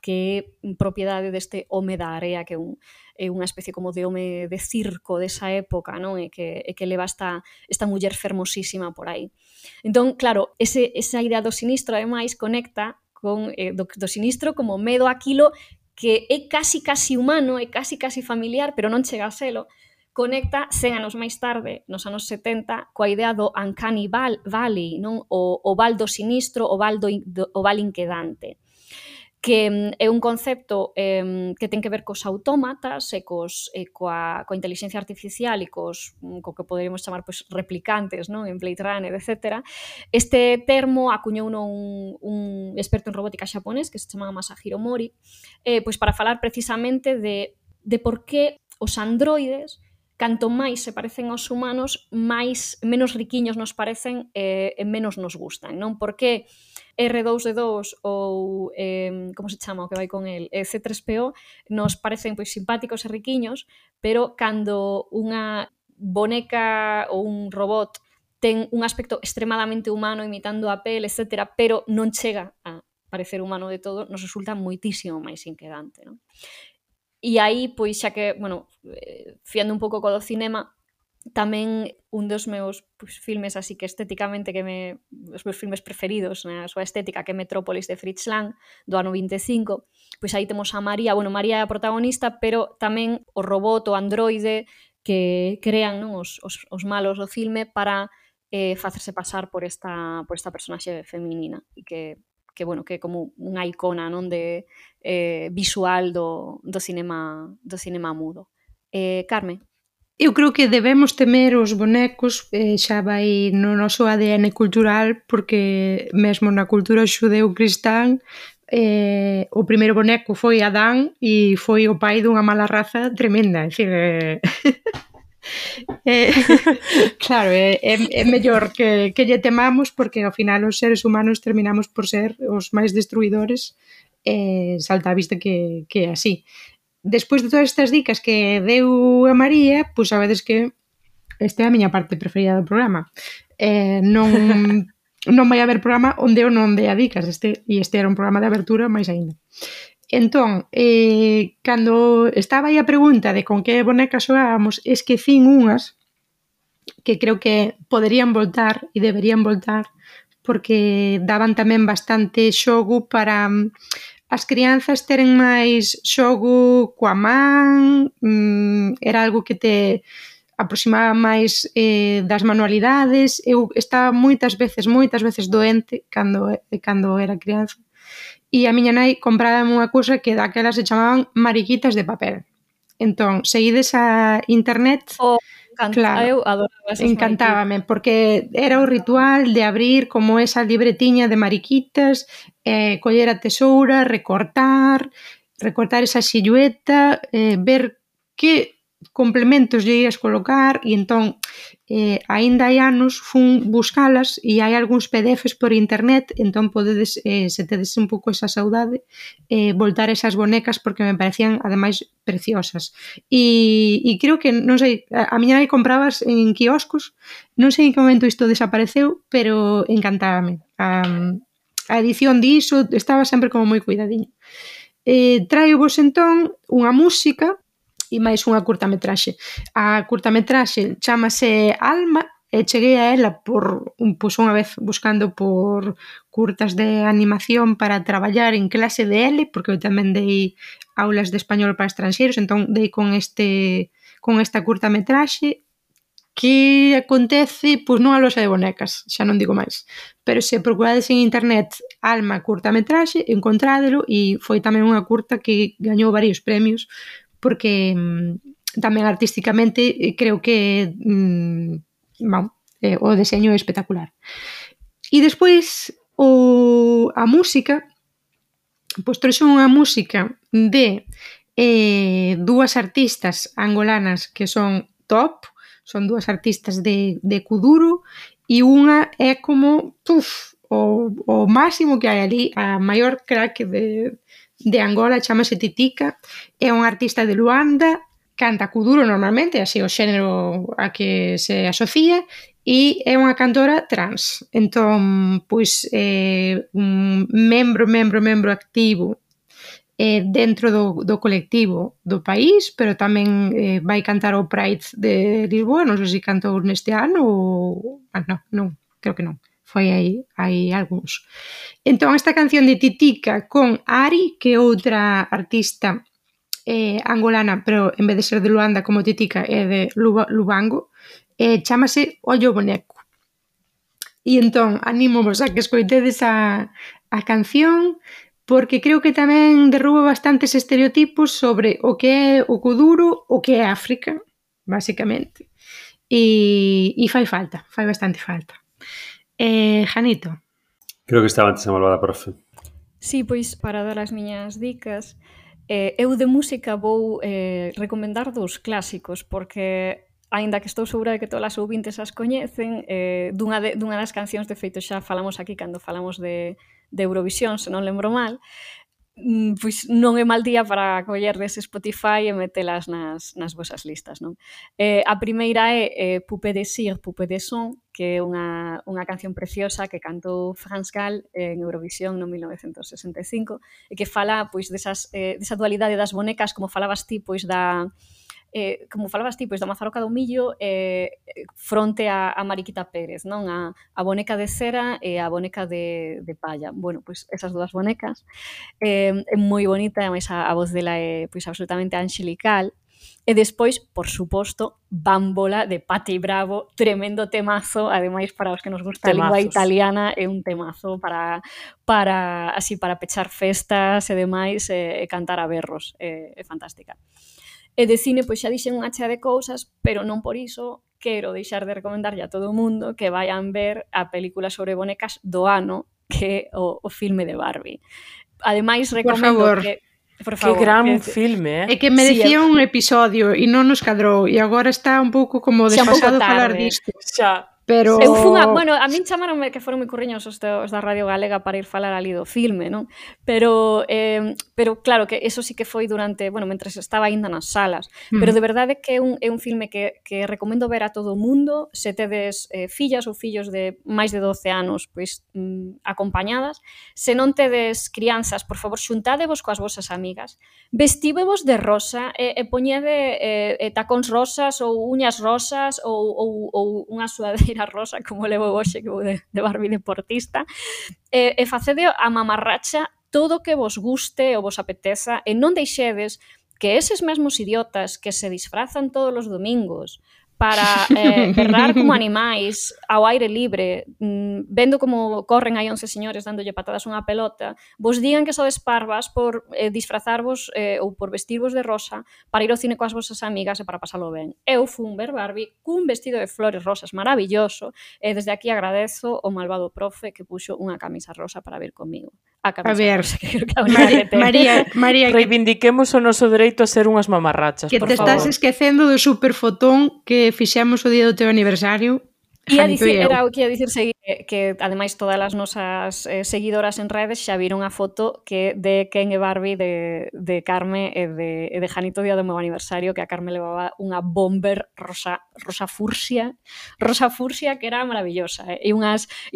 que é propiedade deste home da area, que é unha especie como de home de circo desa época, non? E que leva esta muller fermosísima por aí. Entón, claro, esa idea do sinistro, ademais, conecta con do sinistro como medo aquilo que é casi humano, é casi familiar, pero non chega a selo, conecta 100 anos máis tarde, nos anos 70, coa idea do Uncanny Valley, non? O val do sinistro, o val inquedante, que é un concepto que ten que ver cos autómatas e coa inteligencia artificial e co que poderíamos chamar pois, replicantes, non? En Blade Runner, etc. Este termo acuñouno un experto en robótica xaponés que se chama Masahiro Mori, pois para falar precisamente de por que os androides, canto máis se parecen aos humanos, menos riquiños nos parecen e menos nos gustan, non? Porque R2D2 ou, como se chama o que vai con el, C3PO, nos parecen pois simpáticos e riquiños, pero cando unha boneca ou un robot ten un aspecto extremadamente humano, imitando a pel, etc., pero non chega a parecer humano de todo, nos resulta moitísimo máis inquedante, non? E aí, pois, xa que, bueno, fiando un pouco co do cinema, tamén un dos meus filmes así que estéticamente os meus filmes preferidos na súa estética, que é Metrópolis de Fritz Lang, do ano 25, pois aí temos a María, bueno, María é a protagonista, pero tamén o robot, o androide que crean, non, os malos do filme para facerse pasar por esta personaxe feminina e que bueno, que é como unha icona, non, de visual do cinema mudo. Carme? Eu creo que debemos temer os bonecos, xa vai no noso ADN cultural, porque mesmo na cultura xudeu-cristán o primeiro boneco foi Adán e foi o pai dunha mala raza tremenda, é dicir, claro, é mellor que lle temamos, porque ao final os seres humanos terminamos por ser os máis destruidores, salta a vista que é así. Despois de todas estas dicas que deu a María, pois sabedes que esta é a miña parte preferida do programa. Non vai haber programa onde eu non dea dicas, este era un programa de abertura máis aínda. Entón, cando estaba aí a pregunta de con que bonecas xogábamos, esquecín unhas que creo que poderían voltar e deberían voltar, porque daban tamén bastante xogo para as crianzas teren máis xogo coa man, era algo que te aproximaba máis das manualidades. Eu estaba moitas veces doente cando era crianza, e a miña nai comprábame unha cousa que daquelas se chamaban mariquitas de papel. Entón, seguides a internet... Claro, eu adoraba esas encantábame, porque era o ritual de abrir como esa libretiña de mariquitas, coller a tesoura, recortar esa silueta, ver que complementos lle ias colocar, e entón, aínda hai anos fun buscalas e hai algúns PDFs por internet, entón podedes, se tedes un pouco esa saudade, voltar esas bonecas, porque me parecían ademais preciosas. E creo que, non sei, a miña nai comprabas en quioscos, non sei en que momento isto desapareceu, pero encantábame. A edición diso estaba sempre como moi cuidadiño. Traio vos entón unha música e máis unha curtametraxe. A curtametraxe chamase Alma, e cheguei a ela por unha vez buscando por curtas de animación para traballar en clase de L, porque eu tamén dei aulas de español para estranxeiros, entón dei con esta curtametraxe que acontece pois nunha loxa de bonecas, xa non digo máis. Pero se procurades en internet Alma curtametraxe, encontrádelo, e foi tamén unha curta que gañou varios premios porque tamén artísticamente creo que o deseño é espectacular. E despois a música, pois trouxe unha música de dúas artistas angolanas que son top, son dúas artistas de kuduro, e unha é como o máximo que hai ali, a maior crack de Angola, chamase Titica, é unha artista de Luanda, canta kuduro normalmente, así o xénero a que se asocia, e é unha cantora trans. Entón, pois, un membro activo dentro do colectivo do país, pero tamén vai cantar o Pride de Lisboa, non sei se cantou neste ano ou... non, creo que non. Foi hai algúns. Entón, esta canción de Titica con Ari, que é outra artista angolana, pero en vez de ser de Luanda como Titica é de Lubango, chámase Ollo Boneco. E entón, anímovos a que escoitedes a canción, porque creo que tamén derruba bastantes estereotipos sobre o que é o kuduro, o que é África, basicamente. E fai bastante falta. Janito. Creo que estaba antes a malvada profe. Sí, pois para dar as miñas dicas, eu de música vou recomendar dous clásicos, porque aínda que estou segura de que todas as ouvintes as coñecen, dunha das cancións, de feito xa falamos aquí cando falamos de Eurovisión, se non lembro mal, pois non é mal día para coller dese Spotify e metelas nas vosas listas, non? A primeira é Poupée de Cire, Poupée de Son, que é unha canción preciosa que cantou Franz Gall en Eurovisión no 1965 e que fala pois desa dualidade das bonecas, como falabas ti, pois da Mazarroca do Millo fronte a Mariquita Pérez, non? A boneca de cera e a boneca de palla. Bueno, pois esas dúas bonecas é moi bonita, e máis a voz dela é pois absolutamente angelical. E despois, por suposto, Bambola de Patti Bravo, tremendo temazo, ademais para os que nos gusta a lingua italiana, é un temazo para pechar festas e demais, e cantar a berros, é fantástica. E de cine, pois xa dixen unha chea de cousas, pero non por iso quero deixar de recomendarlle a todo o mundo que vayan ver a película sobre bonecas do ano, que é o filme de Barbie. Ademais, recomendo que... Por favor, que gran filme, É que merecía un episodio e non nos cadrou, e agora está un pouco como desfasado falar disto. Xa. Pero... Eu fun bueno, a min chamaronme que foron moi curriños os da Radio Galega para ir falar ali do filme, non? Pero claro, que eso sí que foi durante, mentres estaba aínda nas salas. Pero de verdade que é un filme que recomendo ver a todo o mundo, se tedes fillas ou fillos de máis de 12 anos, pois acompañadas. Se non tedes crianzas, por favor, xuntádevos coas vosas amigas, vestíbevos de rosa e poñede tacóns rosas ou uñas rosas ou unha suadeira rosa, como levo hoxe, que vou de Barbie deportista, e facede a mamarracha todo o que vos guste ou vos apeteza, e non deixedes que eses mesmos idiotas que se disfrazan todos os domingos para berrar como animais ao aire libre, vendo como corren aí 11 señores dándolle patadas unha pelota, vos digan que sodes parvas por disfrazarvos ou por vestirvos de rosa para ir ao cine coas vosas amigas e para pasalo ben. Eu fun ver Barbie cun vestido de flores rosas maravilloso, e desde aquí agradezo o malvado profe que puxo unha camisa rosa para vir comigo. A ver, rosa, que María, reivindiquemos o noso dereito a ser unhas mamarrachas, que por te favor. Estás esquecendo do superfotón que fixemos o día do teu aniversario. Era o que ia dicir que ademais todas as nosas seguidoras en redes xa viron a foto que de Ken e Barbie de Carme e de Janito día do meu aniversario, que a Carme levaba unha bomber rosa fursia que era maravillosa, e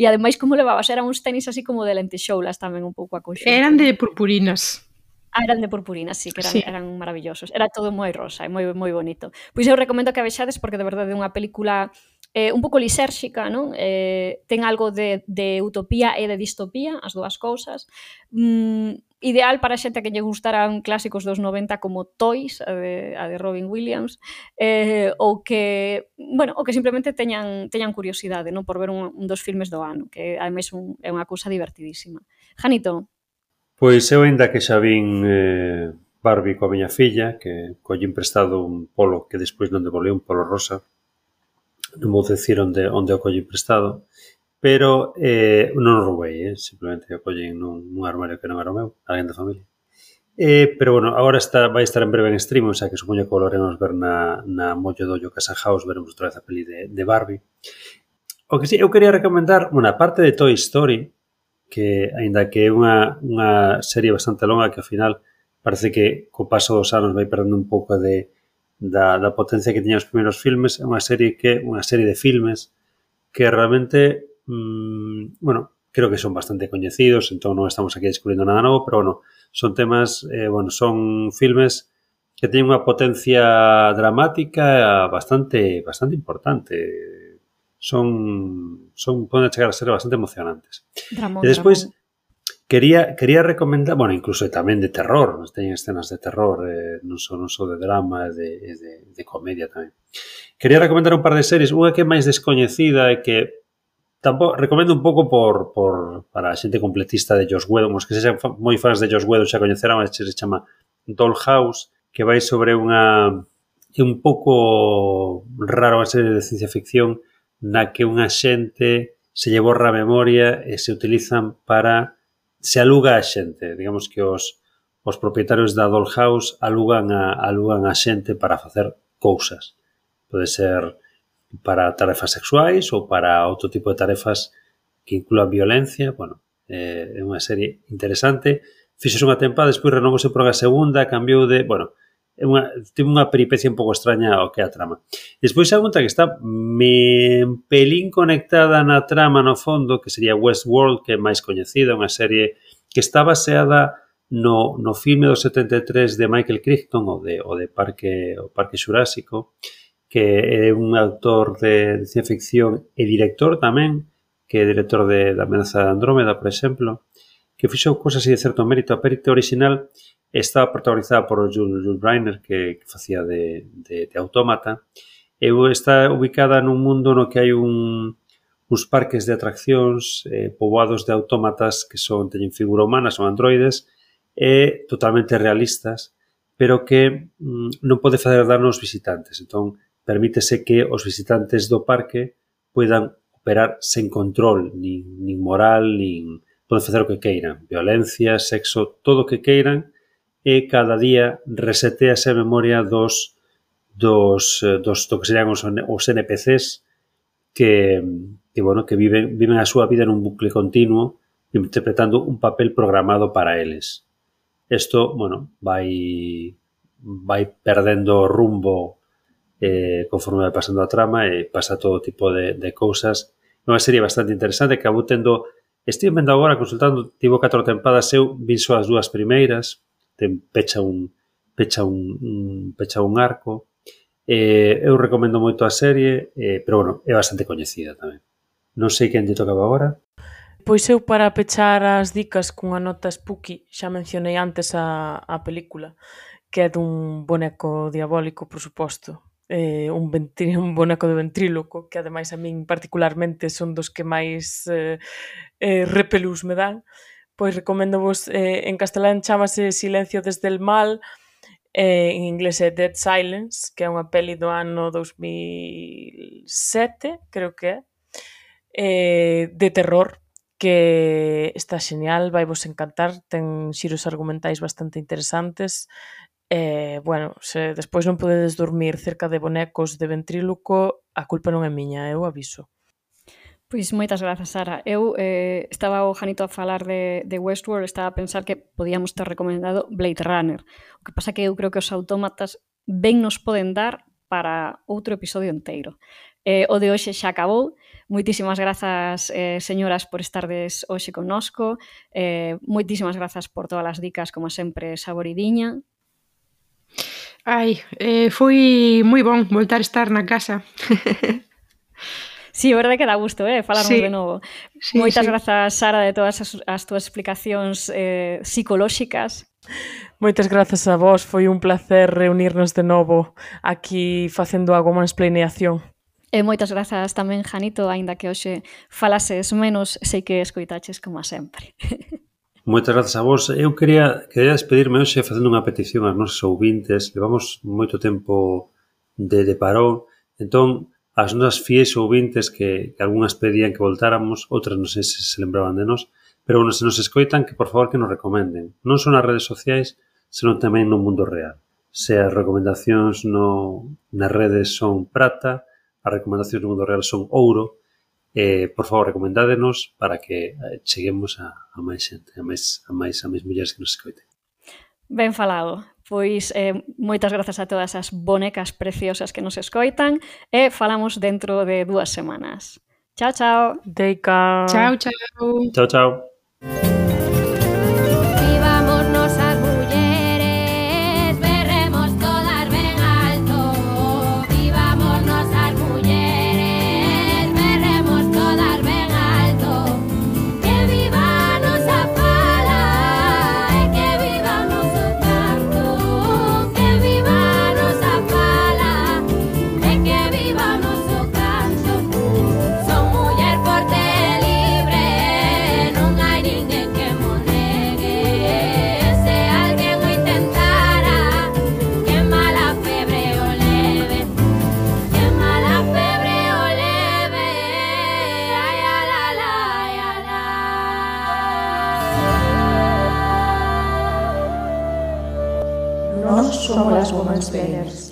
ademais como levabas, eran uns tenis así como de lentexoulas tamén un pouco a conxunto. Eran de purpurinas. Eran de purpurina, sí, que eran maravillosos. Era todo moi rosa e moi bonito. Pois eu recomendo que a vexades porque de verdade é unha película un pouco lisérxica, non? Ten algo de utopía e de distopía, as dúas cousas. Ideal para xente que lle gustaran clásicos dos 90 como Toys, a de Robin Williams, ou que simplemente teñan curiosidade, non, por ver un dos filmes do ano, que ademais é unha cousa divertidísima. Janito? Pois eu ainda que xa vin Barbie coa miña filla, que collín prestado un polo que despois non devolví, un polo rosa, non vou dicir onde o collín prestado, pero non o roubei, simplemente o collín nun armario que non era o meu, alguén da familia. Pero bueno, agora vai estar en breve en stream, o sea que supoño que volveremos ver na Mollo Dollo Casa House, veremos outra vez a peli de Barbie. O que sí, eu quería recomendar, bueno, a parte de Toy Story, que aínda que é unha serie bastante longa que ao final parece que co paso dos anos vai perdendo un pouco da potencia que tiñan os primeiros filmes, é unha serie de filmes que realmente creo que son bastante coñecidos, entón non estamos aquí descubrindo nada novo, pero bueno, son temas, son filmes que teñen unha potencia dramática bastante importante. Poden chegar a ser bastante emocionantes. E despois quería recomendar, bueno, incluso tamén de terror, teñen escenas de terror, non só de drama, de comedia tamén. Quería recomendar un par de series, unha que é máis descoñecida e que tampouco recomendo un pouco para a xente completista de Joss Whedon, os que sexan moi fans de Joss Whedon xa coñecerán, se chama Dollhouse, que vai sobre é un pouco raro a serie de ciencia ficción na que unha xente se lle borra a memoria e se utilizan se aluga a xente, digamos que os propietarios da Dollhouse alugan a xente para facer cousas. Pode ser para tarefas sexuais ou para outro tipo de tarefas que incluan violencia. Bueno, é unha serie interesante. Fixose unha tempada, despois renovouse por unha segunda, cambiou de... Bueno, tivo unha peripecia un pouco extraña ao que é a trama. Despois a outra que está un pelín conectada na trama no fondo, que sería Westworld, que é máis coñecida, unha serie que está baseada no filme do 73 de Michael Crichton, o de Parque Xurásico, que é un autor de ciencia ficción e director tamén, que é director da Amenaza de Andrómeda, por exemplo, que fixou cosas de certo mérito. A perito original estaba protagonizada por Jules Briner, que facía de Autómata, e está ubicada nun mundo no que hai uns parques de atraccións poboados de autómatas que teñen figura humana, son androides, e totalmente realistas, pero que non pode facer daño aos visitantes. Entón, permítese que os visitantes do parque poidan operar sen control, nin moral, nin poden facer o que queiran, violencia, sexo, todo o que queiran, e cada día resetease a memoria dos que serían os NPCs que viven a súa vida nun bucle continuo interpretando un papel programado para eles. Isto, vai perdendo rumbo conforme vai pasando a trama e pasa todo tipo de cousas. É unha serie bastante interesante que estive vendo agora, consultando, tivo 4 tempadas, eu vin só as 2 primeiras, pecha un arco. Eu recomendo moito a serie, pero é bastante coñecida tamén. Non sei quen lle tocaba agora. Pois eu, para pechar as dicas cunha nota spooky, xa mencionei antes a película, que é dun boneco diabólico, por suposto, un boneco de ventríloco, que ademais a min particularmente son dos que máis repelús me dan. Pois recomendo-vos, en castelán chamase Silencio desde el mal, en inglés é Dead Silence, que é unha peli do ano 2007, creo que é, de terror, que está xeñal, vai vos encantar, ten xiros argumentais bastante interesantes. Se despois non podedes dormir cerca de bonecos de ventríloco, a culpa non é miña, eu aviso. Pois moitas grazas, Sara. Eu estaba o Janito a falar de Westworld, estaba a pensar que podíamos ter recomendado Blade Runner. O que pasa que eu creo que os autómatas ben nos poden dar para outro episodio inteiro. O de hoxe xa acabou. Moitísimas grazas, señoras, por estardes hoxe connosco. Moitísimas grazas por todas as dicas, como sempre, saboridiña. Foi moi bon voltar a estar na casa. Sí, a verdade que dá gusto, falarnos Sí. de novo. Sí, Moitas sí. grazas, Sara, de todas as túas explicacións psicolóxicas. Moitas grazas a vos, foi un placer reunirnos de novo aquí facendo a womansplaineación. E moitas grazas tamén, Janito, aínda que hoxe falases menos, sei que escoitaches como a sempre. Moitas grazas a vos. Eu quería despedirme hoxe facendo unha petición aos nosos ouvintes. Levamos moito tempo de parón. Entón, as nosas fiéis ouvintes que algunhas pedían que voltáramos, outras non sei se lembraban de nós, pero bueno, se nos escoitan, que por favor que nos recomenden. Non só nas redes sociais, senón tamén no mundo real. Se as recomendacións nas redes son prata, as recomendacións no mundo real son ouro, por favor, recomendádenos para que cheguemos a máis xente, a máis mulleres que nos escoiten. Ben falado. Pois moitas grazas a todas as bonecas preciosas que nos escoitan e falamos dentro de 2 semanas. Chao, chao. Deica. Chao, chao. Chao, chao. Vivámonos as mulleres, berremos todas ben alto. Vivámonos as mulleres, berremos todas ben alto. Que viva a nosa fala e que vivamos o canto. Que viva a nosa fala e que vivamos o canto. Son muller forte e libre, non hai ninguén que mo negue. Se alguén o intentara, que mala febre o leve. Que mala febre o leve. Ai, ala, la, ai, ala. Nós somos as womansplainers.